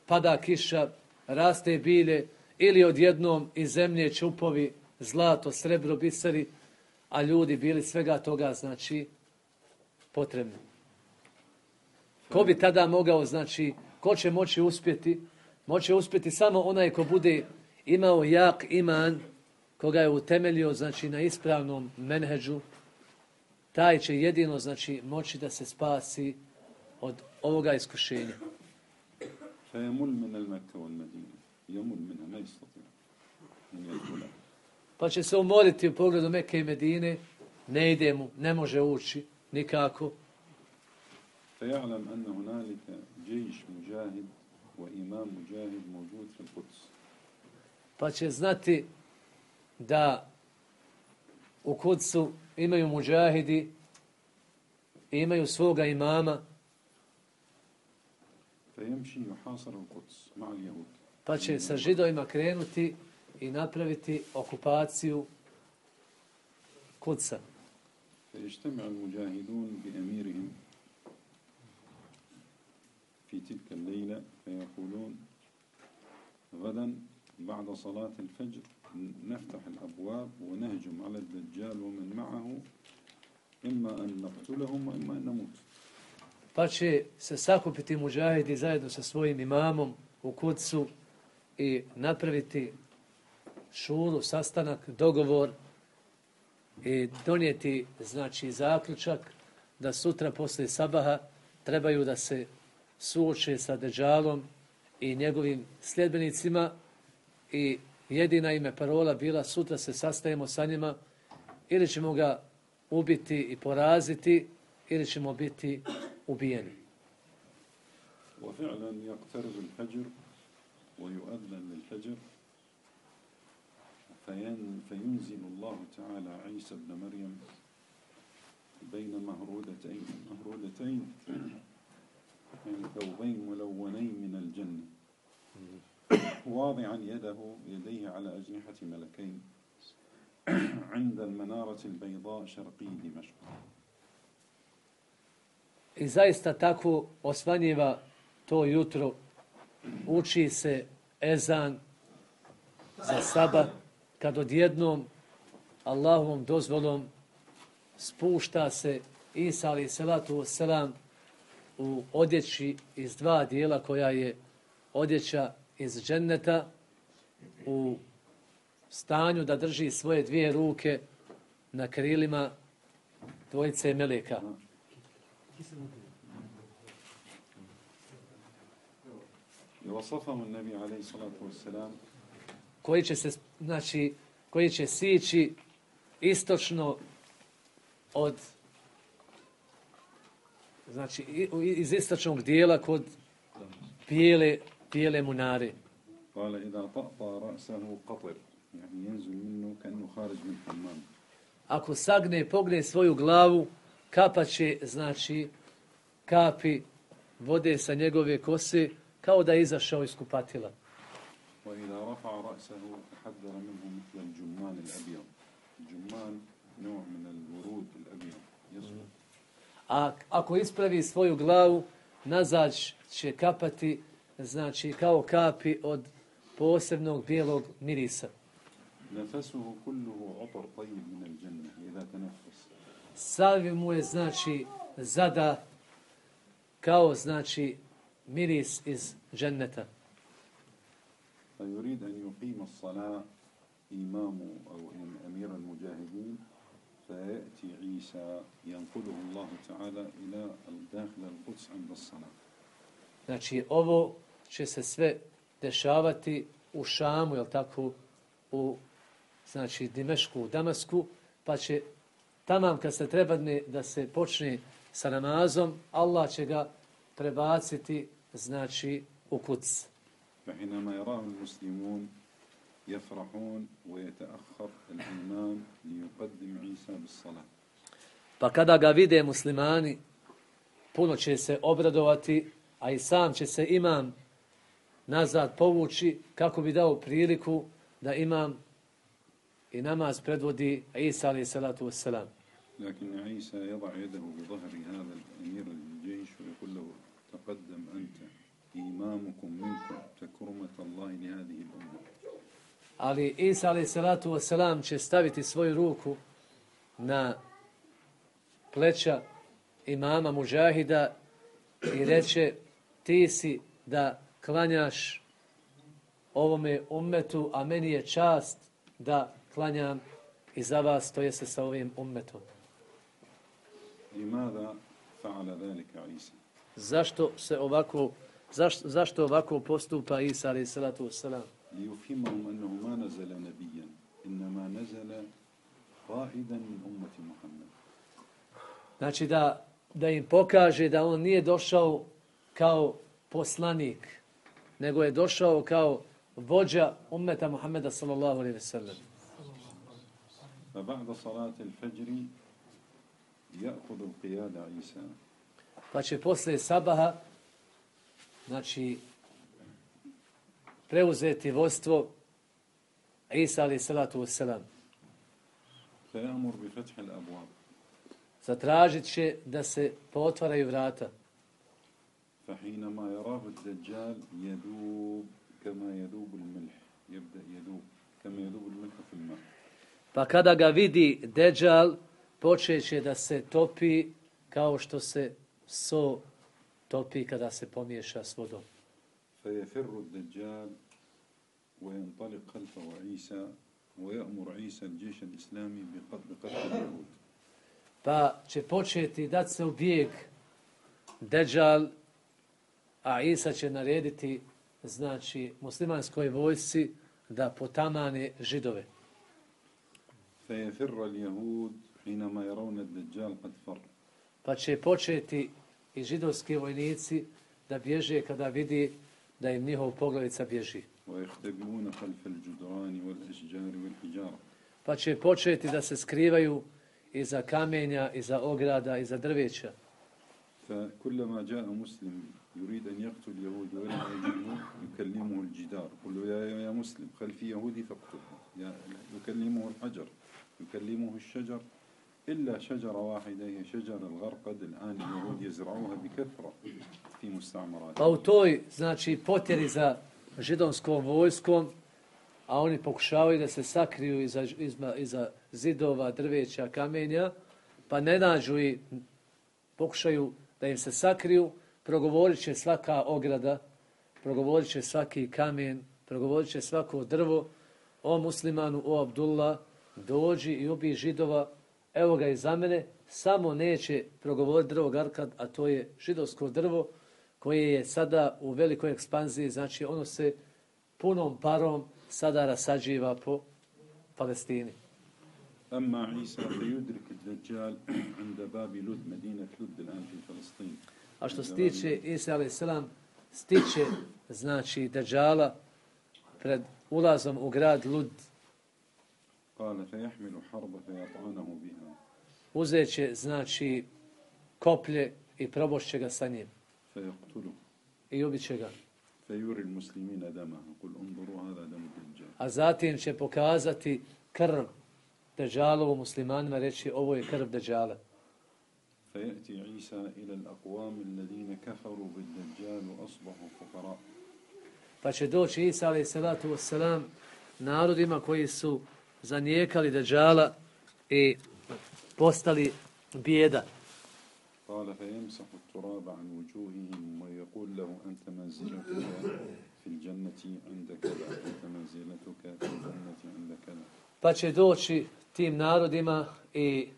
pada kiša, raste bilje ili odjednom iz zemlje čupovi, zlato, srebro, biseri, a ljudi bili svega toga, znači, potrebni. Ko bi tada mogao, znači, ko će moći uspjeti? Moće uspjeti samo onaj ko bude imao jak iman, koga je utemeljio, znači, na ispravnom menheđu, taj će jedino, znači, moći da se spasi od ovoga iskušenja. فيمل من المكة والمدينة يمل منها ما يستطيع أن يدخلها. Pa će se umoriti u pogledu Mekke i Medine, ne ide mu, ne može ući nikako. فيعلم أن هنالك جيش مجاهد وإمام مجاهد موجود في القدس. Pa će znati da u Kudsu imaju muđahidi i imaju svoga imama. فيمشي يحاصر القدس مع اليهود. Pa će sa židovima krenuti i napraviti okupaciju Kudsa. فيجتمع المجاهدون بأميرهم في تلك الليلة فيقولون غدا بعد صلاة الفجر نفتح الأبواب ونهجم على الدجال ومن معه إما أن نقتلهم وإما أن نموت. Pa će se sakupiti muđahidi zajedno sa svojim imamom u Kudsu i napraviti šuru, sastanak, dogovor i donijeti, znači, zaključak da sutra posle sabaha trebaju da se suoče sa Dejjalom i njegovim sljedbenicima i jedina ime parola bila sutra se sastajemo sa njima ili ćemo ga ubiti i poraziti ili ćemo biti ubijeni. وفعلا يقترب الفجر ويؤذن للفجر فينزل الله تعالى عيسى ابن مريم بين مهرودتين مهرودتين يعني ثوبين ملونين من الجنة واضعا يده يديه على أجنحة ملكين عند المنارة البيضاء شرقي دمشق. I zaista tako osvanjiva to jutro, uči se ezan za sabat, kad odjednom Allahovom dozvolom spušta se Isa alaih salatu wassalam u odjeći iz dva dijela koja je odjeća iz dženneta u stanju da drži svoje dvije ruke na krilima dvojice meleka. وصفهم النبي عليه الصلاة والسلام koji će se, znači, koji će sići istočno od, znači, iz istočnog dijela kod bijele, bijele munare. قال إذا طأطأ رأسه قطر يعني ينزل منه كأنه خارج من حمام. Ako sagne, pogne svoju glavu, kapa će, znači, kapi vode sa njegove kose kao da je izašao iz kupatila. وإذا رفع رأسه تحذر منه مثل الجمان الأبيض. الجمان نوع من الورود الأبيض يسقط. A ako ispravi svoju glavu, nazad će kapati, znači, kao kapi od posebnog bijelog mirisa. نفسه كله عطر طيب من الجنة إذا تنفس. Sav mu je, znači, zada kao, znači, miris iz dženneta. فيريد أن يقيم الصلاة إمام أو أمير المجاهدين فيأتي عيسى ينقله الله تعالى إلى داخل القدس عند الصلاة. Znači, ovo će se sve dešavati u Šamu, jel tako, u, znači, Dimešku, u Damasku, pa će tamam kad se treba da se počne sa namazom, Allah će ga prebaciti, znači, u Kuds. فحينما يراه المسلمون يفرحون ويتأخر الإمام ليقدم عيسى بالصلاة. Pa kada ga vide muslimani, puno će se obradovati, a i sam će se imam nazad povući kako bi dao priliku da imam i namaz predvodi Isa alaih salatu wassalam. لكن عيسى يضع يده بظهر هذا الأمير الجيش ويقول له تقدم أنت إمامكم منكم تكرمة الله لهذه الأمة. Ali Isa alaih salatu wassalam će staviti svoju ruku na pleća imama muđahida i reće ti si da klanjaš ovome ummetu, a meni je čast da klanjam i za vas, to jeste sa ovim ummetom. لماذا فعل ذلك عيسى؟ Zašto se ovako, zašto, zašto ovako postupa Isa alejhi salatu vesselam? ليفهمهم أنه ما نزل نبيا إنما نزل قائدا من أمة محمد. Znači da, da im pokaže da on nije došao kao poslanik, nego je došao kao vođa ummeta Muhammeda sallallahu alejhi ve sellem. فبعد صلاة الفجر يأخذ القيادة عيسى. Pa će posle sabaha, znači, preuzeti vodstvo Isa alejhi salatu vesselam. فيأمر بفتح الأبواب. Zatražit će da se pootvaraju vrata. فحينما يراه الدجال يذوب كما يذوب الملح يبدأ يذوب كما يذوب الملح في الماء. Pa kada ga vidi Deđal, počeće da se topi kao što se so topi kada se pomiješa s vodom. فيفر الدجال وينطلق خلفه عيسى ويأمر عيسى الجيش الإسلامي بقتل اليهود. Pa će početi dati se u bijeg Deđal, a Isa će narediti, znači, muslimanskoj vojsci da potamane židove. فيفر اليهود حينما يرون الدجال قد فر. Pa će početi i židovski vojnici da bježe kada vidi da im njihov poglavica bježi. ويختبئون خلف الجدران والأشجار والحجارة. Pa će početi da se skrivaju iza kamenja, iza ograda, iza drveća. فكلما جاء مسلم يريد أن يقتل اليهود ولم يجده يكلمه الجدار يقول له يا يا مسلم خلفي يهودي فاقتله. يكلمه الحجر يكلمه الشجر إلا شجرة واحدة هي شجر الغرقد الآن اليهود يزرعوها بكثرة في مستعمرات. Pa u toj, znači, potjeri za židovskom vojskom, a oni pokušavaju da se sakriju iza, iza, iza zidova, drveća, kamenja, pa ne nađu i pokušaju da im se sakriju, progovorit će svaka ograda, progovorit će svaki kamen, progovorit će svako drvo, o muslimanu, o Abdullah, dođi i ubij židova, evo ga iza mene, samo neće progovoriti drvo Garkad, a to je židovsko drvo koje je sada u velikoj ekspanziji, znači ono se punom parom sada rasađiva po Palestini. أما عيسى فيدرك الدجال عند باب لد مدينة لد الآن في فلسطين. A što se tiče Isa alejhi selam, stiče, znači, Deđala pred ulazom u grad Lud. قال فيحمل حرب فيطعنه بها. Uzeće, znači, koplje i probošće ga sa njim. فيقتله. I ubiće ga. فيوري المسلمين دمه يقول انظروا هذا دم الدجال. A zatim će pokazati krv Deđalovu muslimanima, reći ovo je krv Deđala. فيأتي عيسى إلى الأقوام الذين كفروا بالدجال وأصبحوا فقراء. Pa će doći Isa alejhi salatu vesselam narodima koji su zanijekali Deđala i postali bijeda. قال فيمسح التراب عن وجوههم ويقول له أنت منزلتك في الجنة عند كذا أنت منزلتك في الجنة عند كذا. Pa će doći tim narodima i,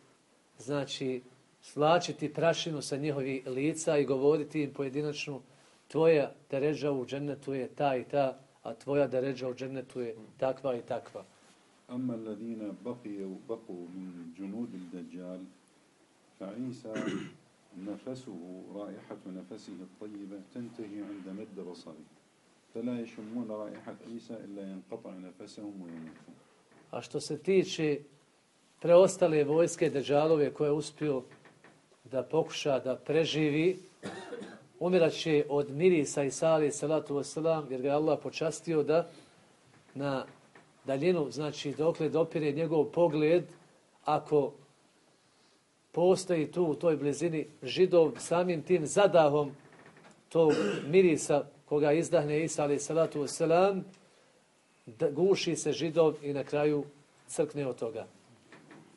znači, svlačiti prašinu sa njihovih lica i govoriti im pojedinačno, tvoja deređa u džennetu je ta i ta, a tvoja deređa u džennetu je takva i takva. أما الذين بقيوا بقوا من جنود الدجال فعيسى نفسه رائحة نفسه الطيبة تنتهي عند مد بصره فلا يشمون رائحة عيسى إلا ينقطع نفسهم ويموتون. A što se tiče preostale vojske Deđalove koje je uspio da pokuša da preživi, umirat će od mirisa Isa alejhi salatu vesselam, jer ga je Allah počastio da na daljinu, znači dokle dopire njegov pogled, ako postoji tu u toj blizini židov, samim tim zadahom tog mirisa koga izdahne Isa alejhi salatu vesselam, guši se židov i na kraju crkne od toga.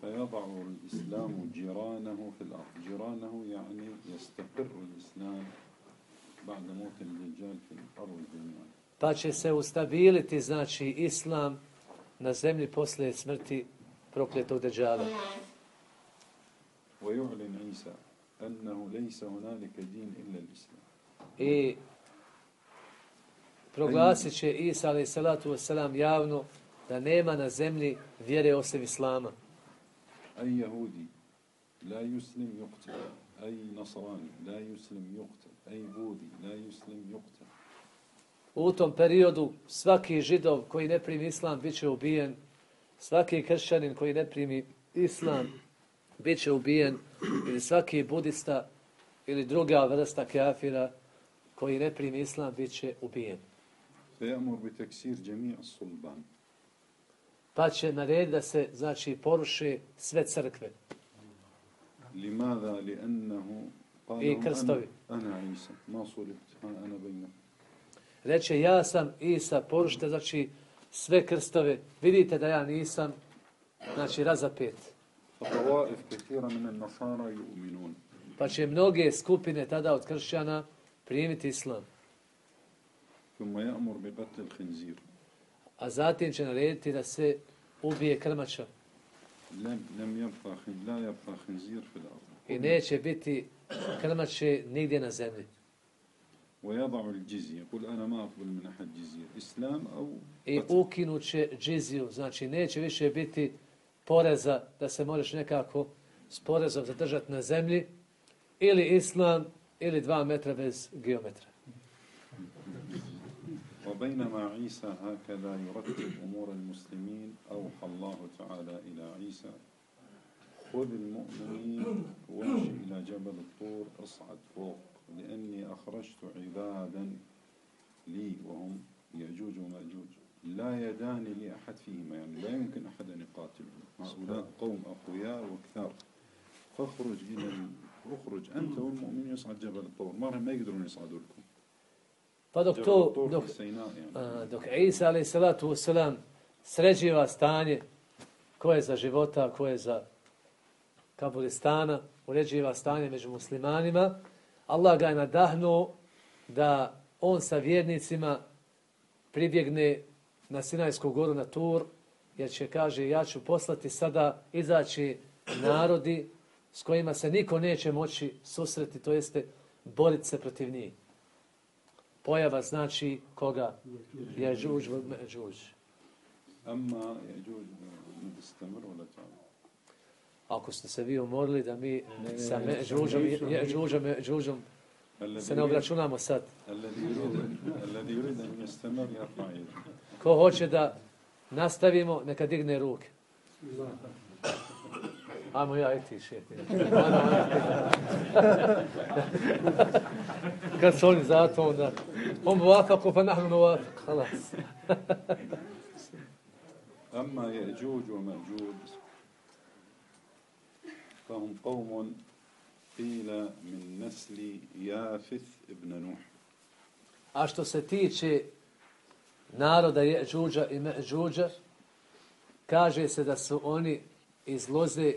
فيضع الإسلام جيرانه في الأرض. جيرانه يعني يستقر الإسلام بعد موت الدجال في الأرض جميعا. pa će se ustabiliti, znači, islam na zemlji posle smrti prokletog Deđala. ويعلن عيسى أنه ليس هنالك دين إلا الإسلام. I proglasit će Isa alaih salatu wasalam javno da nema na zemlji vjere osim Islama. أي يهودي لا يسلم يقتل، أي نصراني لا يسلم يقتل، أي بوذي لا يسلم يقتل. U tom periodu svaki židov koji ne primi islam bit će ubijen, svaki kršćanin koji ne primi islam bit će ubijen, ili svaki budista ili druga vrsta kafira koji ne primi islam bit će ubijen. فيأمر بتكسير جميع الصلبان. Pa će narediti da se, znači, poruše sve crkve. لماذا؟ لأنه قال I لهم krstovi. أنا, أنا عيسى ما صلبت أنا بينكم. Reče, ja sam Isa, porušite, znači, sve krstove. Vidite da ja nisam, znači, razapet. فطوائف كثيرة من النصارى يؤمنون. Pa će mnoge skupine tada od kršćana primiti islam. ثم يأمر بقتل الخنزير. A zatim će narediti da se ubije krmača. لم لم يبقى خن... لا يبقى خنزير في الأرض. I neće biti krmače nigdje na zemlji. ويضع الجزية يقول أنا ما أقبل من أحد جزية إسلام أو I ukinut će džiziju, znači neće više biti poreza da se možeš nekako s porezom zadržati na zemlji, ili islam, ili dva metra bez geometra. وبينما عيسى هكذا يرتب أمور المسلمين أوحى الله تعالى إلى عيسى خذ المؤمنين وامشي إلى جبل الطور اصعد فوق لأني أخرجت عبادا لي وهم يأجوج ومأجوج لا يدان لأحد فيهما يعني لا يمكن أحد أن يقاتلهم هؤلاء قوم أقوياء وكثار فاخرج إلى اخرج أنت والمؤمنين يصعد جبل الطور مرة ما يقدرون يصعدوا لكم. Pa dok to, dok, a, dok Isa alaih salatu wasalam sređiva stanje ko je za života, ko je za Kabulistana, uređiva stanje među muslimanima, Allah ga je nadahnuo da on sa vjernicima pribjegne na Sinajsku goru na Tur, jer će, kaže, ja ću poslati sada izaći narodi s kojima se niko neće moći susreti, to jeste boriti se protiv njih. Pojava znači koga? Jeđuđ, Međuđ. Amma Jeđuđ istamr wala ta'ala. Ako ste se vi umorili da mi sa Međuđom, Jeđuđom, Međuđom se ne obračunamo sad. Alladhi yurid an yastamir yarfa yadahu. Ko hoće da nastavimo, neka digne ruke. Ajmo ja i ti šeti. Kad su oni zato onda, on muvafaku pa nahnu muvafaku, halas. أما يأجوج ومأجوج فهم قوم قيل من نسل يافث ابن نوح. A što se tiče naroda Jeđuđa i Međuđa, kaže se da su oni iz loze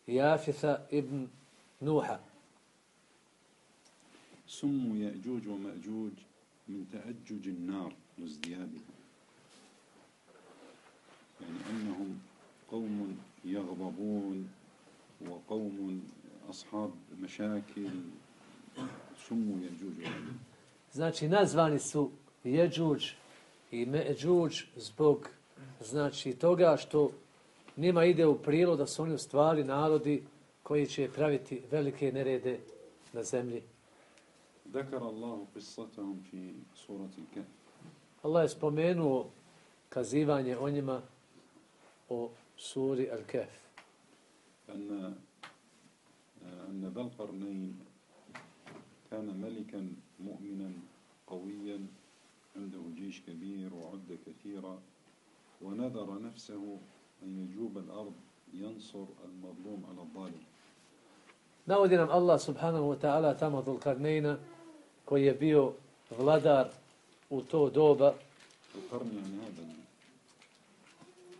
Jafitha ibn Nuha. سموا يأجوج ومأجوج من تأجج النار وازديادها يعني أنهم قوم يغضبون وقوم أصحاب مشاكل سموا يأجوج ومأجوج. Znači nazvani su Jeđuđ i Međuđ zbog znači toga što njima ide u prilog da su oni u stvari narodi koji će praviti velike nerede na zemlji. ذكر الله قصتهم في سورة الكهف. Allah je spomenuo kazivanje o njima o suri Al-Kahf. أن أن ذا القرنين كان ملكا مؤمنا قويا عنده جيش كبير وعدة كثيرة ونذر نفسه أن يجوب الأرض ينصر المظلوم على الظالم. Navodi nam Allah subhanahu wa ta'ala tamo Dhul-Karnejna koji je bio vladar u to doba. القرن يعني هذا.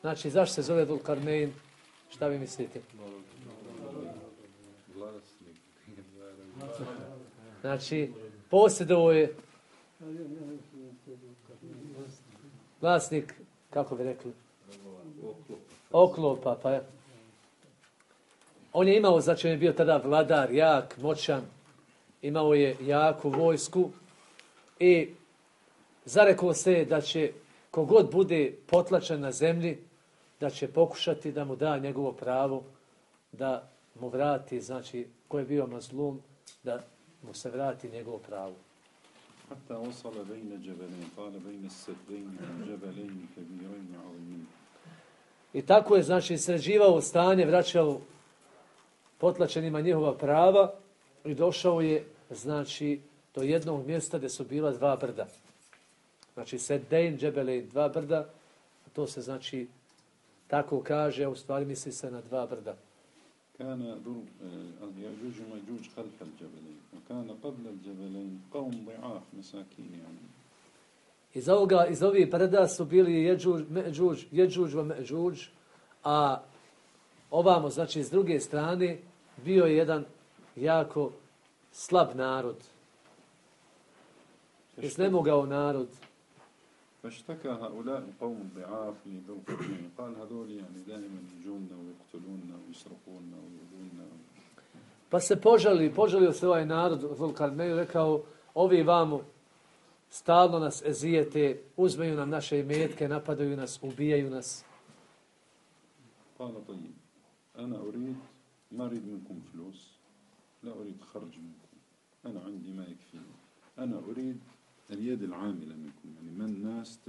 Znači, zašto se zove Dhul-Karnejn? Šta vi mislite? Znači, posjedovo je vlasnik, kako bi rekli? Oklopa, pa je. On je imao, znači on je bio tada vladar, jak, moćan, imao je jaku vojsku i zarekao se da će kogod bude potlačen na zemlji, da će pokušati da mu da njegovo pravo, da mu vrati, znači ko je bio mazlum, da mu se vrati njegovo pravo. حتى وصل بين جبلين قال بين السدين جبلين كبيرين عظيمين. I tako je, znači, sređivao stanje, vraćao potlačenima njihova prava i došao je, znači, do jednog mjesta gdje su bila dva brda. Znači, Seddein, Džebelein, dva brda, to se, znači, tako kaže, a u stvari misli se na dva brda. كان يأجوج ومأجوج خلف الجبلين وكان قبل الجبلين قوم ضعاف مساكين يعني. Iz ovoga, iz ovih brda su bili Jeđuđ, Međuđ, Jeđuđ, Međuđ, a ovamo, znači, s druge strane, bio je jedan jako slab narod. Iznemogao narod. فاشتكى هؤلاء القوم الضعاف لذو القرنين قال هذول يعني دائما يجوننا ويقتلوننا ويسرقوننا ويؤذوننا. Pa se požalio, požalio se ovaj narod Zulkarneju, rekao, ovi vamo stalno nas ezijete, uzmeju nam naše imetke, napadaju nas, ubijaju nas. قال طيب أنا أريد ما أريد منكم فلوس لا أريد خرج منكم أنا عندي ما يكفيني أنا أريد اليد العاملة منكم يعني من الناس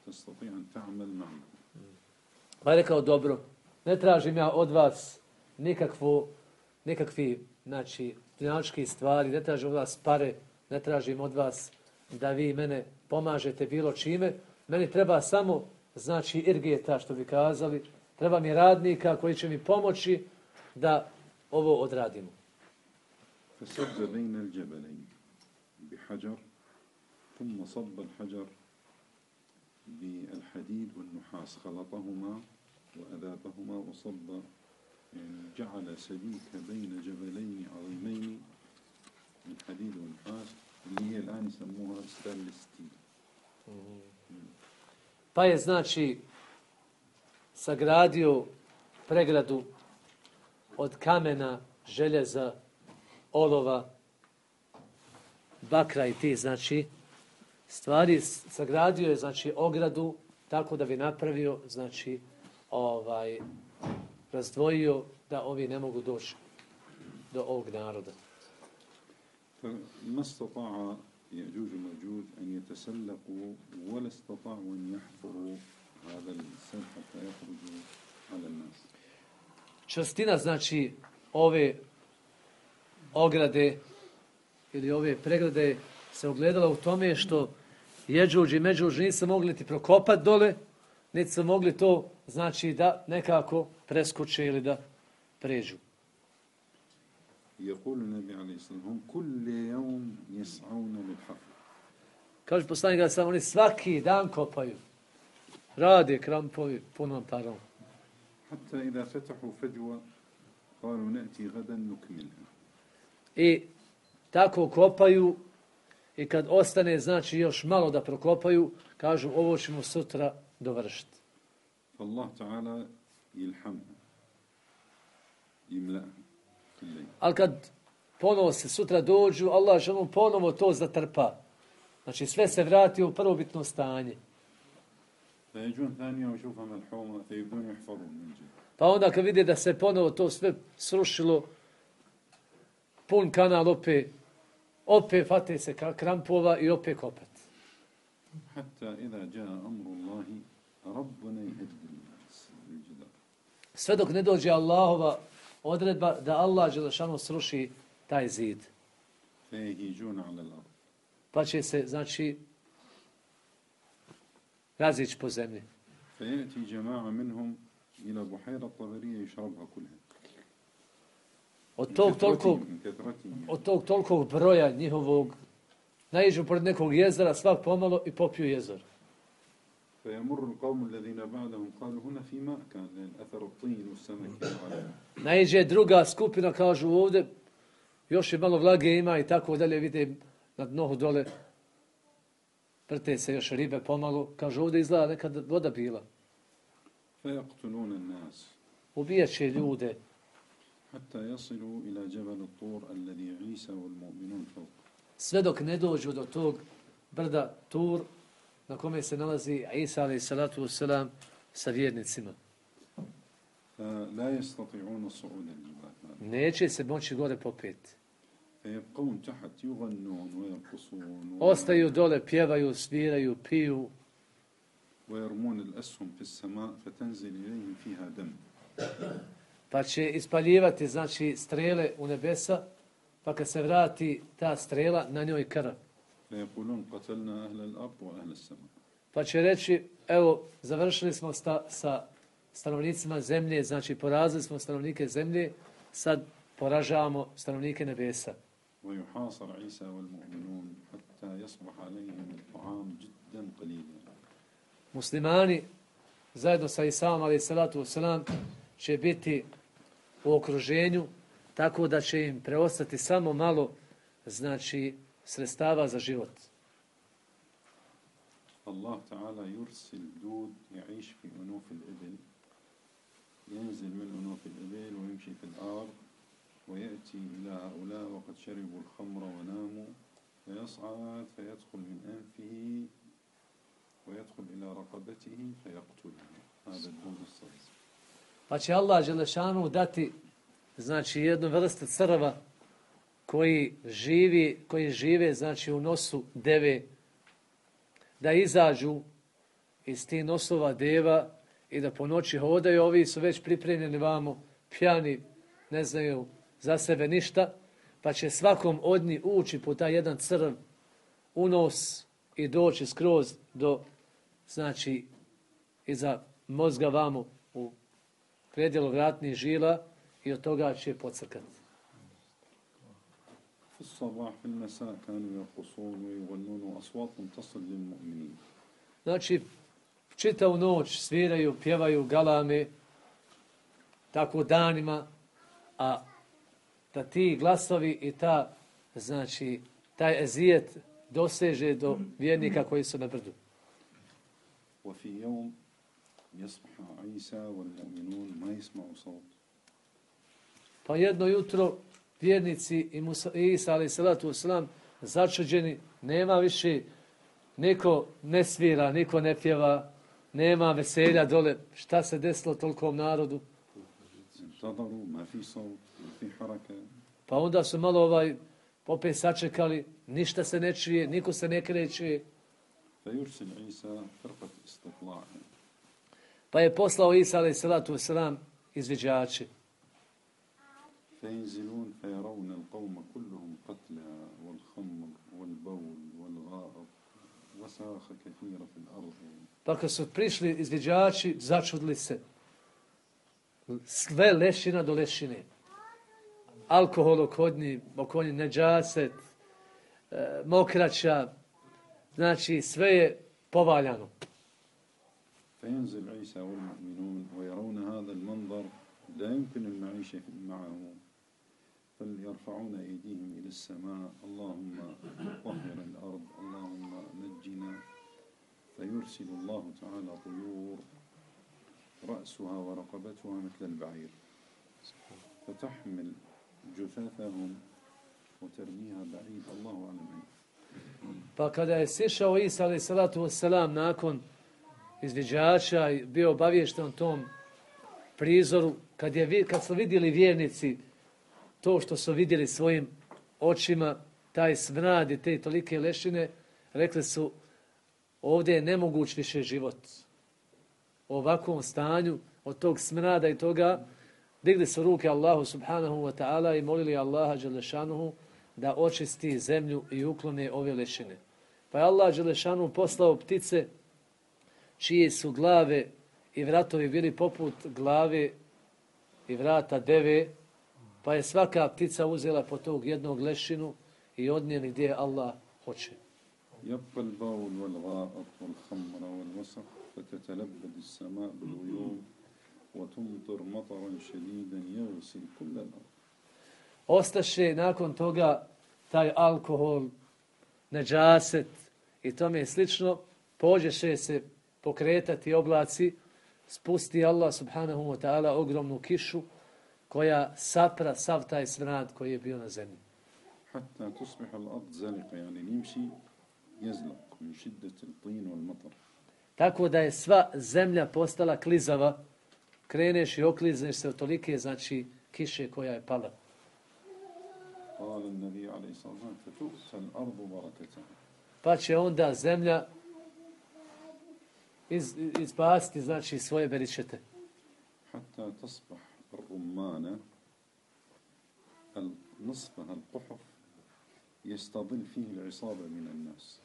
تستطيع أن تعمل معكم. Pa je rekao, dobro, ne tražim ja od vas nikakvu, nikakvi, znači, finančki stvari, ne tražim od vas pare, ne tražim od vas da vi mene pomažete bilo čime. Meni treba samo, znači, irgeta, što bi kazali, treba mi radnika koji će mi pomoći da ovo odradimo. فسد بين الجبلين بحجر ثم صب الحجر بالحديد والنحاس خلطهما وأذابهما وصب يعني جعل سبيك بين جبلين عظيمين من حديد ونحاس اللي هي الآن يسموها ستانلس ستيل. Pa je, znači, sagradio pregradu od kamena, željeza, olova, bakra i ti, znači, stvari, sagradio je, znači, ogradu tako da bi napravio, znači, ovaj, razdvojio da ovi ne mogu doći do ovog naroda. فما استطاع يأجوج ومأجوج أن يتسلقوا ولا استطاعوا أن يحفروا هذا السد حتى يخرجوا على الناس. Čvrstina, znači, ove ograde ili ove pregrade se ogledala u tome što Jeđuđ i Međuđ nisu mogli ti prokopati dole, niti su mogli to, znači, da nekako preskoče ili da pređu. يقول النبي عليه الصلاة والسلام هم كل يوم يسعون للحفر. Kaže poslanik da samo oni svaki dan kopaju. Rade krampovi punom parom. حتى إذا فتحوا فجوة قالوا نأتي غدا نكملها. I tako kopaju i kad ostane, znači, još malo da prokopaju, kažu ovo ćemo sutra dovršiti. فالله تعالى يلحمها يملأها. Ali kad ponovo se sutra dođu, Allah želom ponovo to zatrpa. Znači sve se vrati u prvobitno stanje. Pa onda kad vide da se ponovo to sve srušilo, pun kanal opet, opet fate se krampova i opet kopat. Sve dok ne dođe Allahova odredba da Allah dželešanu sruši taj zid. Pa će se, znači, razići po zemlji. Od tog tolikog, od tog tolikog broja njihovog naiđu pored nekog jezera svak pomalo i popiju jezor. Naiđe druga skupina, kažu ovdje, još je malo vlage ima i tako dalje, vide na dnu dole vrte se još ribe pomalo, kažu ovdje izgleda nekad voda bila. فيقتلون الناس Ubijat će ljude, حتى يصلوا إلى جبل الطور الذي عيسى والمؤمنون فوق. sve dok ne dođu do tog brda Tur, na kome se nalazi Isa alaih salatu wasalam sa vjernicima. فلا يستطيعون صعود الجبال. Neće se moći gore popeti. فيبقون تحت يغنون ويرقصون Ostaju dole, pjevaju, sviraju, piju. ويرمون الأسهم في السماء فتنزل إليهم فيها دم. Pa će ispaljivati, znači, strele u nebesa, pa kad se vrati ta strela, na njoj krv. فيقولون قتلنا أهل الأرض وأهل السماء. Pa će reći, evo, završili smo sta, sa stanovnicima zemlje, znači porazili smo stanovnike zemlje, sad poražavamo stanovnike nebesa. ويحاصر عيسى والمؤمنون حتى يصبح عليهم الطعام جدا قليلا. Muslimani, zajedno sa Isaom, alaih salatu wasalam, će biti u okruženju, tako da će im preostati samo malo, znači, sredstava za život. الله تعالى يرسل دود يعيش في أنوف الإبل، ينزل من أنوف الإبل ويمشي في الأرض ويأتي إلى هؤلاء وقد شربوا الخمر وناموا، فيصعد فيدخل من أنفه ويدخل إلى رقبته فيقتله. هذا الدود الصغير. Pa će Allah Đelešanu dati, znači, jednu vrstu crva koji živi, koji žive, znači, u nosu deve, da izađu iz tih nosova deva i da po noći hodaju. Ovi su već pripremljeni vamo, pjani, ne znaju za sebe ništa, pa će svakom od njih ući po taj jedan crv u nos i doći skroz do, znači, iza mozga vamo u predjelu vratnih žila i od toga će pocrkati. في الصباح في المساء كانوا يرقصون ويغنون وأصوات تصل للمؤمنين. Znači, čitavu noć sviraju, pjevaju, galame, tako danima, a da ti glasovi i ta, znači, taj ezijet doseže do vjernika koji su na brdu. وفي يوم يصبح عيسى والمؤمنون ما يسمعوا صوت. Pa jedno jutro vjernici i Musa, Isa alaih salatu wasalam začuđeni, nema više, niko ne svira, niko ne pjeva, nema veselja dole. Šta se desilo tolikom narodu? انتظروا ما في صوت ما في حركة. Pa onda su malo ovaj opet sačekali, ništa se ne čuje, niko se ne kreće. فيرسل عيسى فرقة استطلاع. Pa je poslao Isa alaih salatu wasalam izviđači. فينزلون فيرون القوم كلهم قتلى والخمر والبول والغائط وساخ كثيرة في الأرض. Pa kad su prišli izviđači, začudili se. Sve lešina do lešine. Alkohol okodnji, okonji neđaset, e, mokraća, znači sve je povaljano. فينزل عيسى والمؤمنون ويرون هذا المنظر لا يمكن المعيشة معه فليرفعون أيديهم إلى السماء اللهم طهر الأرض اللهم نجنا فيرسل الله تعالى طيور رأسها ورقبتها مثل البعير فتحمل جثثهم وترميها بعيد الله أعلم. Pa kada je sišao Isa alaih salatu wasalam nakon izviđača i bio obaviješten tom prizoru, kad, je, kad su vidjeli vjernici to što su vidjeli svojim očima, taj smrad i te tolike lešine, rekli su, ovdje je nemoguć više život. U ovakvom stanju, od tog smrada i toga, digli su ruke Allahu subhanahu wa ta'ala i molili Allaha dželešanuhu da očisti zemlju i uklone ove lešine. Pa je Allah dželešanuhu poslao ptice čije su glave i vratovi bili poput glave i vrata deve, pa je svaka ptica uzela po tog jednog lešinu i odnijeli gdje Allah hoće. يبقى البول والغائط والخمر والوسخ فتتلبد السماء بالغيوم وتمطر مطرا شديدا يغسل كل الأرض. Ostaše nakon toga taj alkohol, neđaset i tome je slično, pođeše se pokretati oblaci, spusti Allah subhanahu wa ta'ala ogromnu kišu koja sapra sav taj smrad koji je bio na zemlji. حتى تصبح الأرض زلقة يعني يمشي يزلق من شدة الطين والمطر. Tako da je sva zemlja postala klizava, kreneš i oklizneš se od tolike, znači, kiše koja je pala. قال النبي عليه الصلاة والسلام فتؤتى الأرض بركتها. Pa će onda zemlja iz, izbaciti, znači, svoje beričete. حتى تصبح الرمانة نصفها القحف يستظل فيه العصابة من الناس.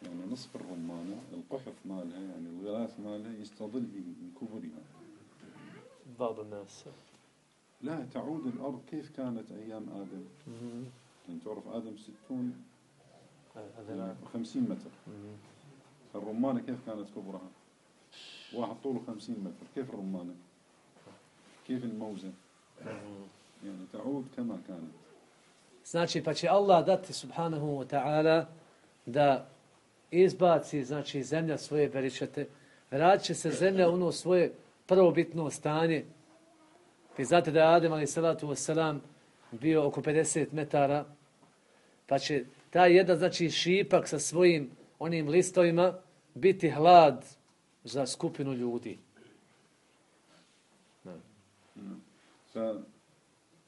يعني نصف الرمانة القحف مالها يعني الغلاف مالها يستظل من كبرها. بعض الناس. لا تعود الأرض كيف كانت أيام آدم. يعني تعرف آدم ستون خمسين متر. الرمانة كيف كانت كبرها؟ واحد طوله خمسين متر. كيف الرمانة؟ كيف الموزة؟ يعني تعود كما كانت. Znači, pa će Allah dati subhanahu wa ta'ala da izbaci, znači, zemlja svoje beričete. Vratit će se zemlja u ono svoje prvobitno stanje. Vi znate da je Adem alaih salatu wassalam bio oko pedeset metara, pa će taj jedan, znači, šipak sa svojim onim listovima biti hlad za skupinu ljudi.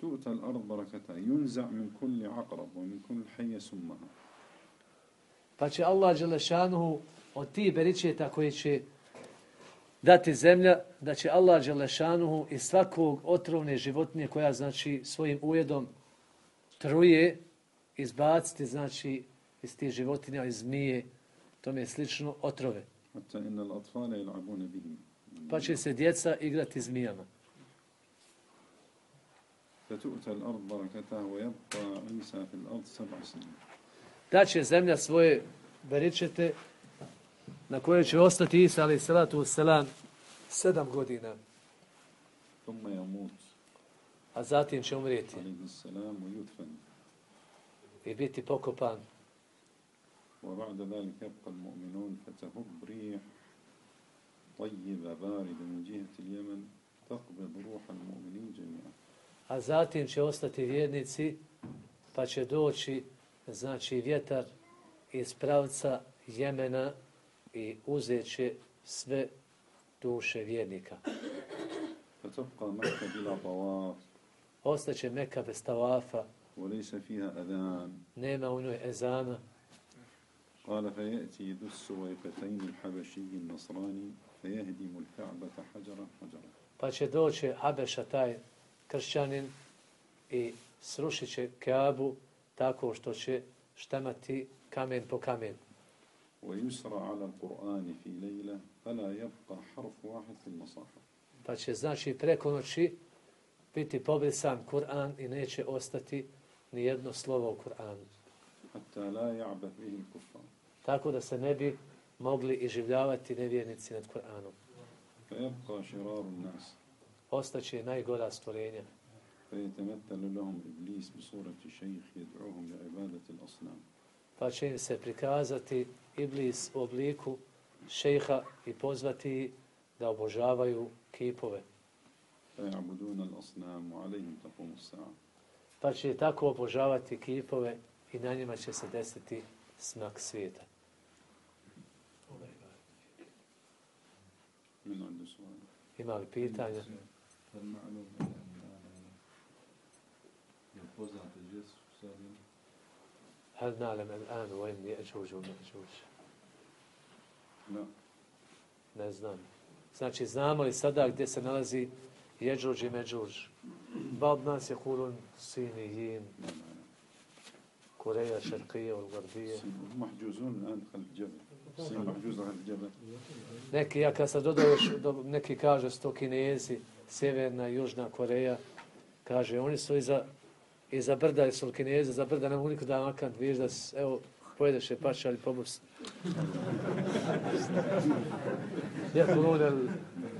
فتؤتى الأرض بركتها ينزع من كل عقرب ومن كل حية سمها. Pa će Allah dželešanuhu od tih beričeta koji će dati zemlja, da će Allah dželešanuhu iz svakog otrovne životinje koja, znači, svojim ujedom truje, izbaciti, znači, iz tih životinja, iz zmije, tome je slično, otrove. حتى إن الأطفال يلعبون بهم. Pa će se djeca igrati zmijama. فتؤتى الأرض بركتها ويبقى عيسى في الأرض سبع سنين. Da će zemlja svoje beričete na koje će ostati Isa alaih salatu wassalam sedam godina. ثم يموت. A zatim će umrijeti. عليه السلام ويدفن. I biti pokopan. وبعد ذلك يبقى المؤمنون فتهب ريح طيبة باردة من جهة اليمن تقبض روح المؤمنين جميعا. A zatim će ostati vjernici, pa će doći, znači, vjetar iz pravca Jemena i uzet će sve duše vjernika. فتبقى مكة بلا طواف. Ostaće Meka bez tavafa. وليس فيها أذان. Nema u njoj ezana. قال فيأتي ذو السويقتين الحبشي النصراني فيهدم الكعبة حجرا حجرا. Pa će doći Habeša, taj kršćanin, i srušit će Kaabu tako što će štamati kamen po kamen. ويسرى على القرآن في ليلة فلا يبقى حرف واحد في المصاحف. Pa će, znači, preko noći biti pobrisan Kur'an i neće ostati ni jedno slovo u Kur'anu. حتى لا يعبث به الكفار. Tako da se ne bi mogli iživljavati nevjernici nad Kur'anom. فيبقى شرار الناس. Ostaće najgora stvorenja. فيتمثل لهم إبليس بصورة شيخ يدعوهم لعبادة الأصنام. Pa će im se prikazati Iblis u obliku šejha i pozvati da obožavaju kipove. فيعبدون الأصنام وعليهم تقوم الساعة. Pa će tako obožavati kipove i na njima će se desiti smak svijeta. من عنده سؤال؟ Ima li pitanja? هل نعلم الآن وين يأجوج ومأجوج؟ لا. Ne znam. Znači, znamo li sada gdje se nalazi Jeđuđ i Međuđ? Ba'd nas je kulun Sinijin, Koreja, Šarkija, Garbija. محجوزون الآن خلف الجبل. الصين محجوزة خلف الجبل. Neki, ja kad sam dodao još, neki kaže sto Kinezi, Sjeverna i Južna Koreja, kaže, oni su iza, iza brda, su Kinezi, za brda ne mogu niko da makant, vidiš da, evo, pojedeš je paša, ali pobus. يأكلون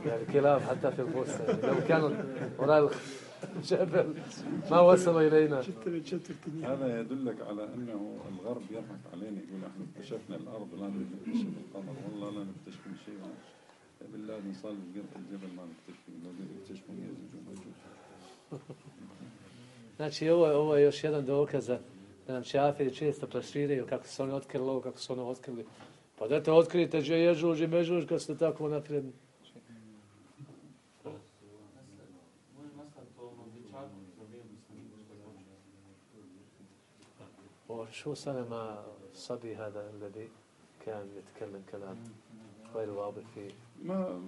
الكلاب حتى في البستان لو كانوا وراء جبل ما وصلوا إلينا. هذا يدلك على أنه الغرب يضحك علينا يقول احنا اكتشفنا الأرض لا نكتشف القمر والله لا نكتشف شيء. بالله نصال القرب الجبل ما نكتشف لو يكتشفون يزوج ومجوج. Znači, ovo, ovo je još jedan dokaz da nam šafiri često plasiraju kako su oni otkrili ovo, kako su ono otkrili. Pa dajte otkrite gdje je Ježuž i Mežuž kad ste tako napredni. وشو صار مع صبي هذا الذي كان يتكلم كلام غير واضح فيه؟ ما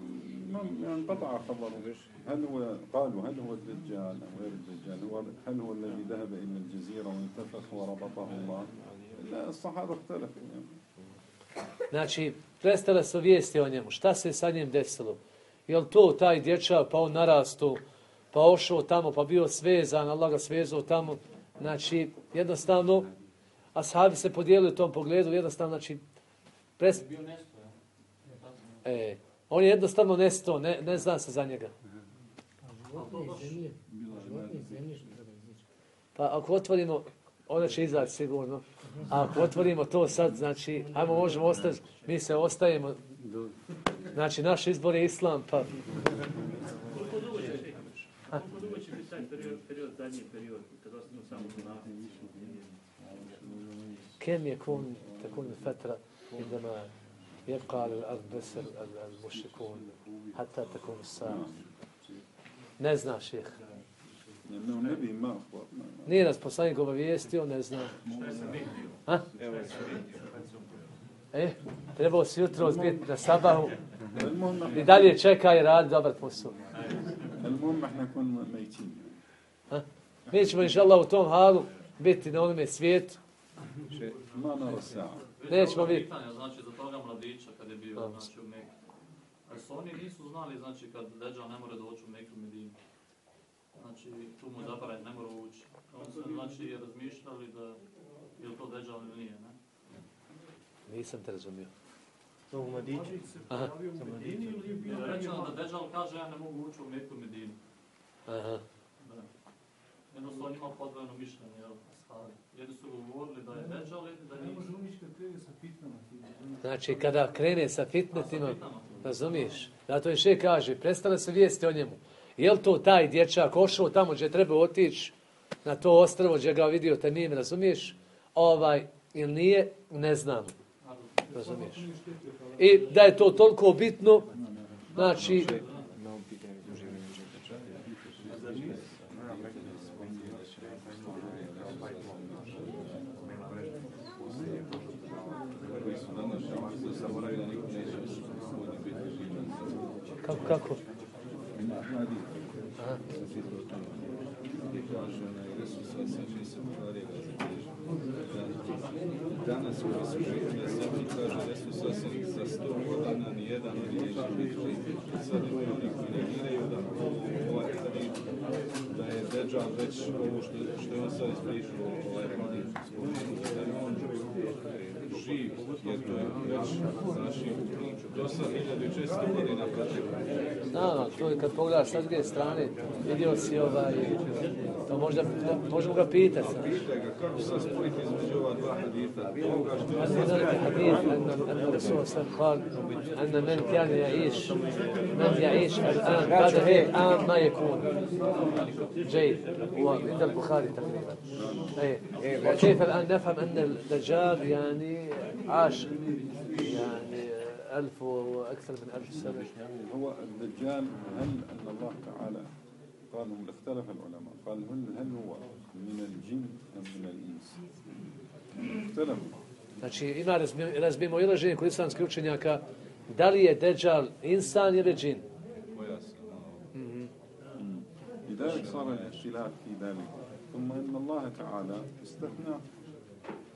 ما يعني انقطع خبره. هل هو قالوا هل هو الدجال أو غير الدجال؟ هو هل هو الذي ذهب إلى الجزيرة وانتفخ وربطه الله؟ لا الصحابة اختلفوا يعني. Znači, prestale su vijesti o njemu. Šta se sa njim desilo? Je li to taj dječak, pa on narastu, pa ošao tamo, pa bio svezan, Allah ga svezao tamo. Znači, jednostavno, ashabi se podijelili u tom pogledu, jednostavno, znači, pres... E, on je jednostavno nestao, ne, ne zna se za njega. Pa ako otvorimo, ona će izaći sigurno, a ako otvorimo to sad, znači, ajmo možemo ostati, mi se ostajemo, znači, naš izbor je islam, pa... Koliko dugo će biti? Koliko dugo će biti taj period, period, zadnji period, kada ostanu samo znati? كم يكون تكون الفترة عندما يبقى على الأرض بس المشركون حتى تكون الساعة؟ Ne zna šejh. لأنه النبي ما أخبر. Nije nas poslanik obavijestio, ne zna. Ha? E, trebao si jutro biti na sabahu i dalje čeka i radi dobar posao. المهم احنا نكون ميتين. Ha? Mi ćemo inšallah u tom halu biti na onome svijetu. ما نرى الساعة. Nećemo biti. Znači za toga mladića kad je bio znači, u Meku. Ali su oni nisu znali znači kad Deđal ne more doći u Meku Medinu. Znači tu mu zapravo ne mora ući. Oni su znači razmišljali da je li to Deđal ili nije, ne? Nisam te razumio. To u mladiću. Aha. Rečeno da Deđal kaže ja ne mogu ući u Meku Medinu. Aha. Da. Jednostavno on ima podvojeno mišljenje, jel? Jedni su govorili da je Deđal, da nije. Znači, kada krene sa fitnetima, razumiješ? Zato je šejh kaže, prestale se vijesti o njemu. Je li to taj dječak ošao tamo gdje treba otići, na to ostrvo gdje ga vidio Temim, razumiješ? Ovaj, ili nije, ne znam. Razumiješ? I da je to toliko bitno, znači... Kako, kako? Aha. Danas koji su živjeli na zemlji, kaže Resul Sasani, za sto godina nijedan od njih neće biti živ. Sad imaju oni koji negiraju da ovaj hadid, da je Deđal već ovo što, što je on sad ispričao, ovaj hadid, da je on živ, jer to je već znači do sad hiljadu šesto godina proteklo. Da, to je kad pogledaš sa druge strane, vidio si ovaj, to možda, možemo ga pitati. Pitaj ga, kako se spojiti između ova dva hadita? هناك حديث أن أن الرسول صلى الله عليه وسلم قال أن من كان يعيش من يعيش الآن بعد هيك الآن ما يكون جيد وعند البخاري تقريبا. أي وكيف الآن نفهم أن الدجال يعني عاش يعني ألف وأكثر من ألف سنة. هو الدجال هل أن الله تعالى قال هم اختلف العلماء قال هل هل هو من الجن أم من الإنس؟ اختلفوا. Znači, ima razbimo ilaženje kod islamskih učenjaka, da li je Deđal insan ili džin? لذلك صار الاختلاف في ذلك ثم إن الله تعالى استثنى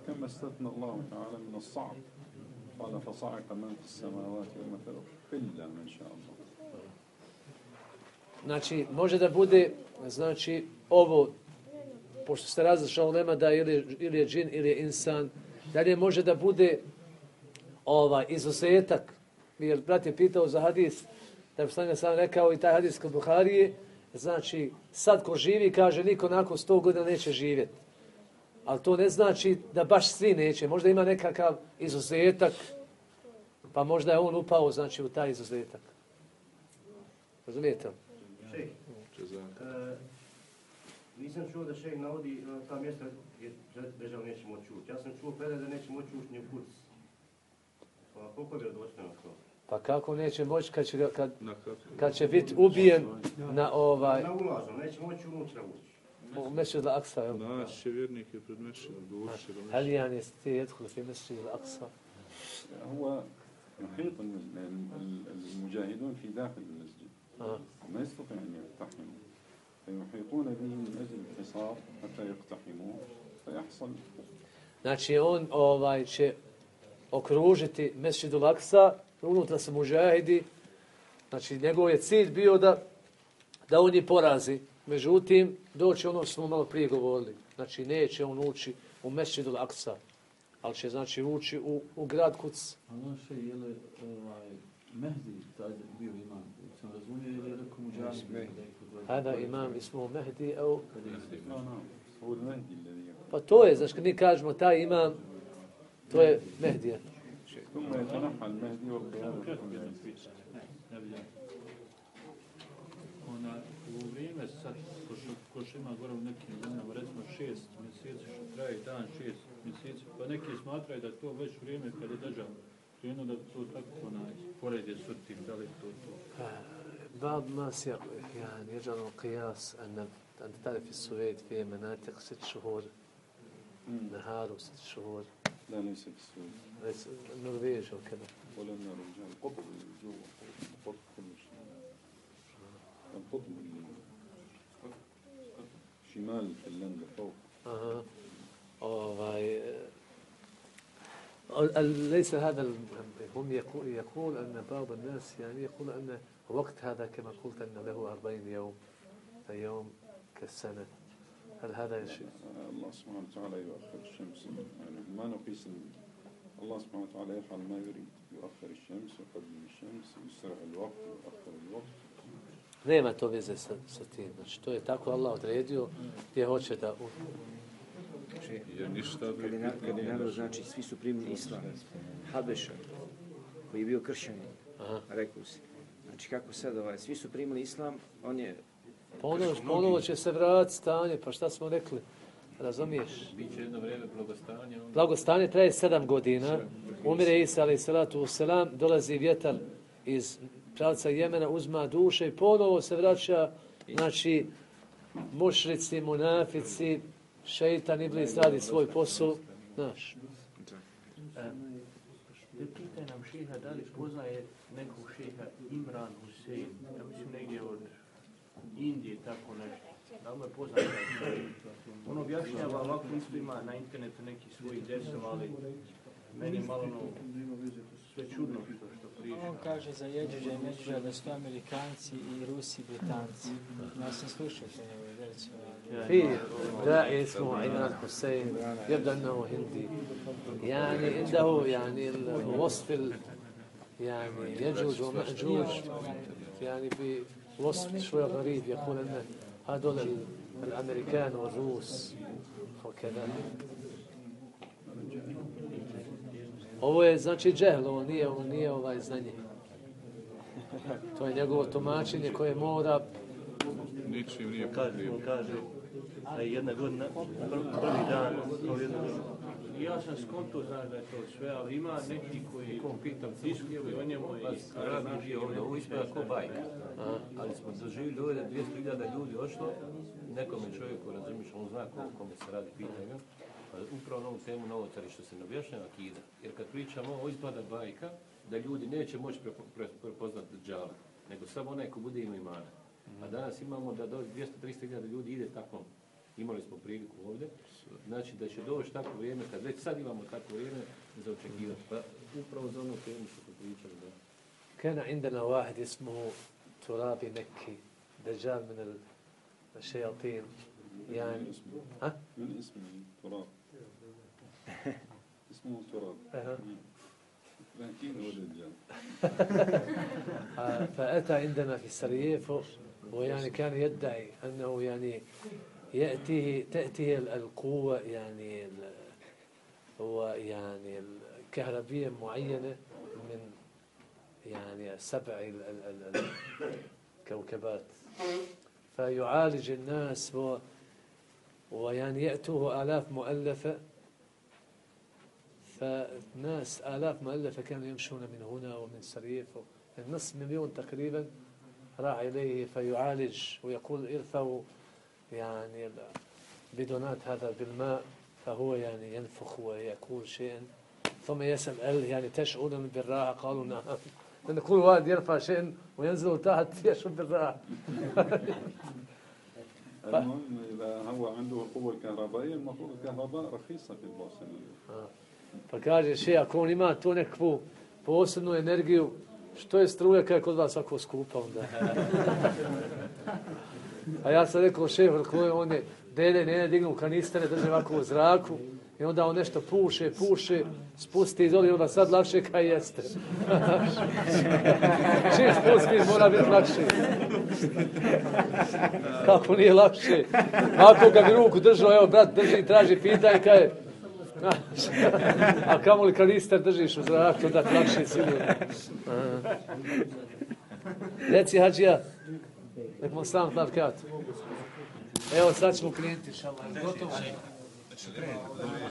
كما استثنى الله تعالى من الصعق قال فصعق من في السماوات ومثل إلا من شاء الله. Znači, može da bude, znači, ovo, pošto se različila ulema da ili, ili je džin ili je insan, dalje može da bude ovaj izuzetak. Jer brat je pitao za hadis, da bi sam sam rekao i taj hadis kod Buharije, znači, sad ko živi, kaže, niko nakon sto godina neće živjeti. Ali to ne znači da baš svi neće. Možda ima nekakav izuzetak, pa možda je on upao, znači, u taj izuzetak. Razumijete li? Šejh, e, nisam čuo da šejh navodi e, ta mjesta gdje Deđal neće moći ući. Ja sam čuo predaj da neće moći ući ni u Kuc. Pa koliko je vjerodostojno to? Pa kako neće moći kad će, kad, kad će biti ubijen na ovaj... Na ulazom, neće moći unutra ući. U Mesdžid al-Aqsa, jel? Naš je vjernik je pred Mešidom, došli do هل يعني يستطيع يدخل في مسجد الأقصى؟ هو يحيط المجاهدون في داخل المسجد آه. ما يستطيع أن يقتحموا فيحيطون به من أجل الحصار حتى يقتحموه فيحصل. Znači on ovaj će okružiti Mesdžid al-Aqsa, unutra su muđahidi, znači njegov je cilj bio da, da on je porazi. Međutim, doći ono što smo malo prije govorili. Znači neće on ući u Mesdžid al-Aqsa, ali će znači ući u, u grad Kuc. A naše je li ovaj, Mehdi taj bio imam, sam razumio, ili je rekao muđahid? Hada imam ismu Mehdi, au... No, no. هو المهدي الذي Pa to je, znači kad mi kažemo taj imam, to je Mehdija. ثم يتنحى المهدي والقيادة Ona, u vrijeme sad, ko što, ko što ima gore u nekim zemljama, recimo šest mjeseci, što traje dan šest mjeseci, pa neki smatraju da je to već vrijeme kada je Deđal krenuo da to tako onaj, pored je sutim, da li to to? بعض الناس يعني يجعلوا القياس أن أنت تعرف في السويد في مناطق ست شهور نهار وست شهور لا ليس بالسويد ليس النرويج وكذا ولا الرجال القطب الجو القطب كل شيء القطب شمال فنلندا فوق أها أوه ليس هذا المهم. هم يقول, يقول أن بعض الناس يعني يقول أن وقت هذا كما قلت أن له أربعين يوم يوم كالسنة. هل هذا شيء؟ الله سبحانه وتعالى يؤخر الشمس يعني ما نقيس الله سبحانه وتعالى يفعل ما يريد يؤخر الشمس يقدم الشمس يسرع الوقت يؤخر الوقت. Nema to veze sa, sa tim. Znači, to je tako Allah odredio gdje hoće da... Jer ništa kad je, na, kad je narod, znači, svi su primili islam. Habeša, koji je bio kršćanin, rekao si. Znači, kako sad, ovaj, svi su primili islam, on je... Ponovo, ponovo će se vratiti stanje, pa šta smo rekli? Razumiješ? Biće jedno vrijeme blagostanja. Blagostanje traje sedam godina. Umire Isa, alaih salatu wasalam, dolazi vjetar iz pravca Jemena, uzma duše i ponovo se vraća, znači, mušrici, munafici, šeitan, iblis radi svoj posao, znaš. Pitaj nam šeha da li poznaje nekog šeha Imran Husein, ja mislim negdje od Indije, tako nešto. Da li me poznaje? On objašnjava ovako, isto ima na internetu neki svojih desova, ali meni malo no, sve čudno što, što priča. On kaže za Jeđuđa i Međuđa da su to Amerikanci i Rusi, Britanci. Ja sam slušao to njegove versije. في داعي اسمه عمران حسين يبدو انه هندي يعني عنده يعني الوصف ال يعني يجوج ومأجوج يعني بوصف شوي غريب يقول ان هذول الامريكان والروس وكذا. Ovo je znači džehl, ovo nije, ovo nije ovaj znanje. To je njegovo tumačenje koje mora... Ničim nije kaže, on kaže da je jedna godina, prvi dan, kao jedna godina. Ja sam skonto, znaš da je to sve, ali ima neki koji diskuju o njemu i radi bio ovdje, ovo ispada ko bajka. Ali smo doživjeli ovdje dvjesto hiljada ljudi ošlo, nekome čovjeku, razumiješ, on zna ko, kome se radi pitanja, pa upravo na ovu temu novotari što se ne objašnjava akida. Jer kad pričamo ovo ispada bajka, da ljudi neće moći prepoznati Džala, nego samo onaj ko bude imao imana. A danas imamo da do dvjesto do tristo hiljada ljudi ide tako, imali smo priliku ovdje, znači da će doći tako vrijeme, kad već sad imamo tako vrijeme za očekivati. Pa upravo za ono temu što smo pričali. Da. كان عندنا واحد اسمه ترابي مكي دجال من الشياطين يعني ها؟ من اسمه تراب اسمه تراب لكن هو دجال فأتى عندنا في سراييفو ويعني كان يدعي أنه يعني يأتيه تأتيه القوة يعني هو يعني الكهربية معينة من يعني سبع الكوكبات فيعالج الناس و ويعني يأتوه آلاف مؤلفة فالناس آلاف مؤلفة كانوا يمشون من هنا ومن سريف النصف مليون تقريبا راح إليه فيعالج ويقول ارفعوا يعني بدونات هذا بالماء فهو يعني ينفخ ويقول شيئا ثم يسأل يعني تشعرون بالراحة قالوا نعم لأن كل واحد يرفع شيئا وينزل تحت يشعر بالراحة المهم إذا هو عنده القوة الكهربائية المفروض الكهرباء رخيصة في البوسنة. Pa kaže še, ako on ima tu nekakvu posebnu energiju, što je struja kada je kod vas ovako skupa onda? A ja sam rekao šef, on je dede, ne dignu kanistere, drže ovako u zraku i onda on nešto puše, puše, spusti iz ovdje, onda sad lakše kaj jeste. Čim spusti, mora biti lakše. Kako nije lakše? Ako ga bi ruku držao, evo brat drži, traži, pitaj kaj je. A kamo li kanister držiš u zraku, onda ti lakše sigurno. Reci hađija, nek mu sam tlavkat. Evo sad ćemo klijenti šalaj. Gotovo.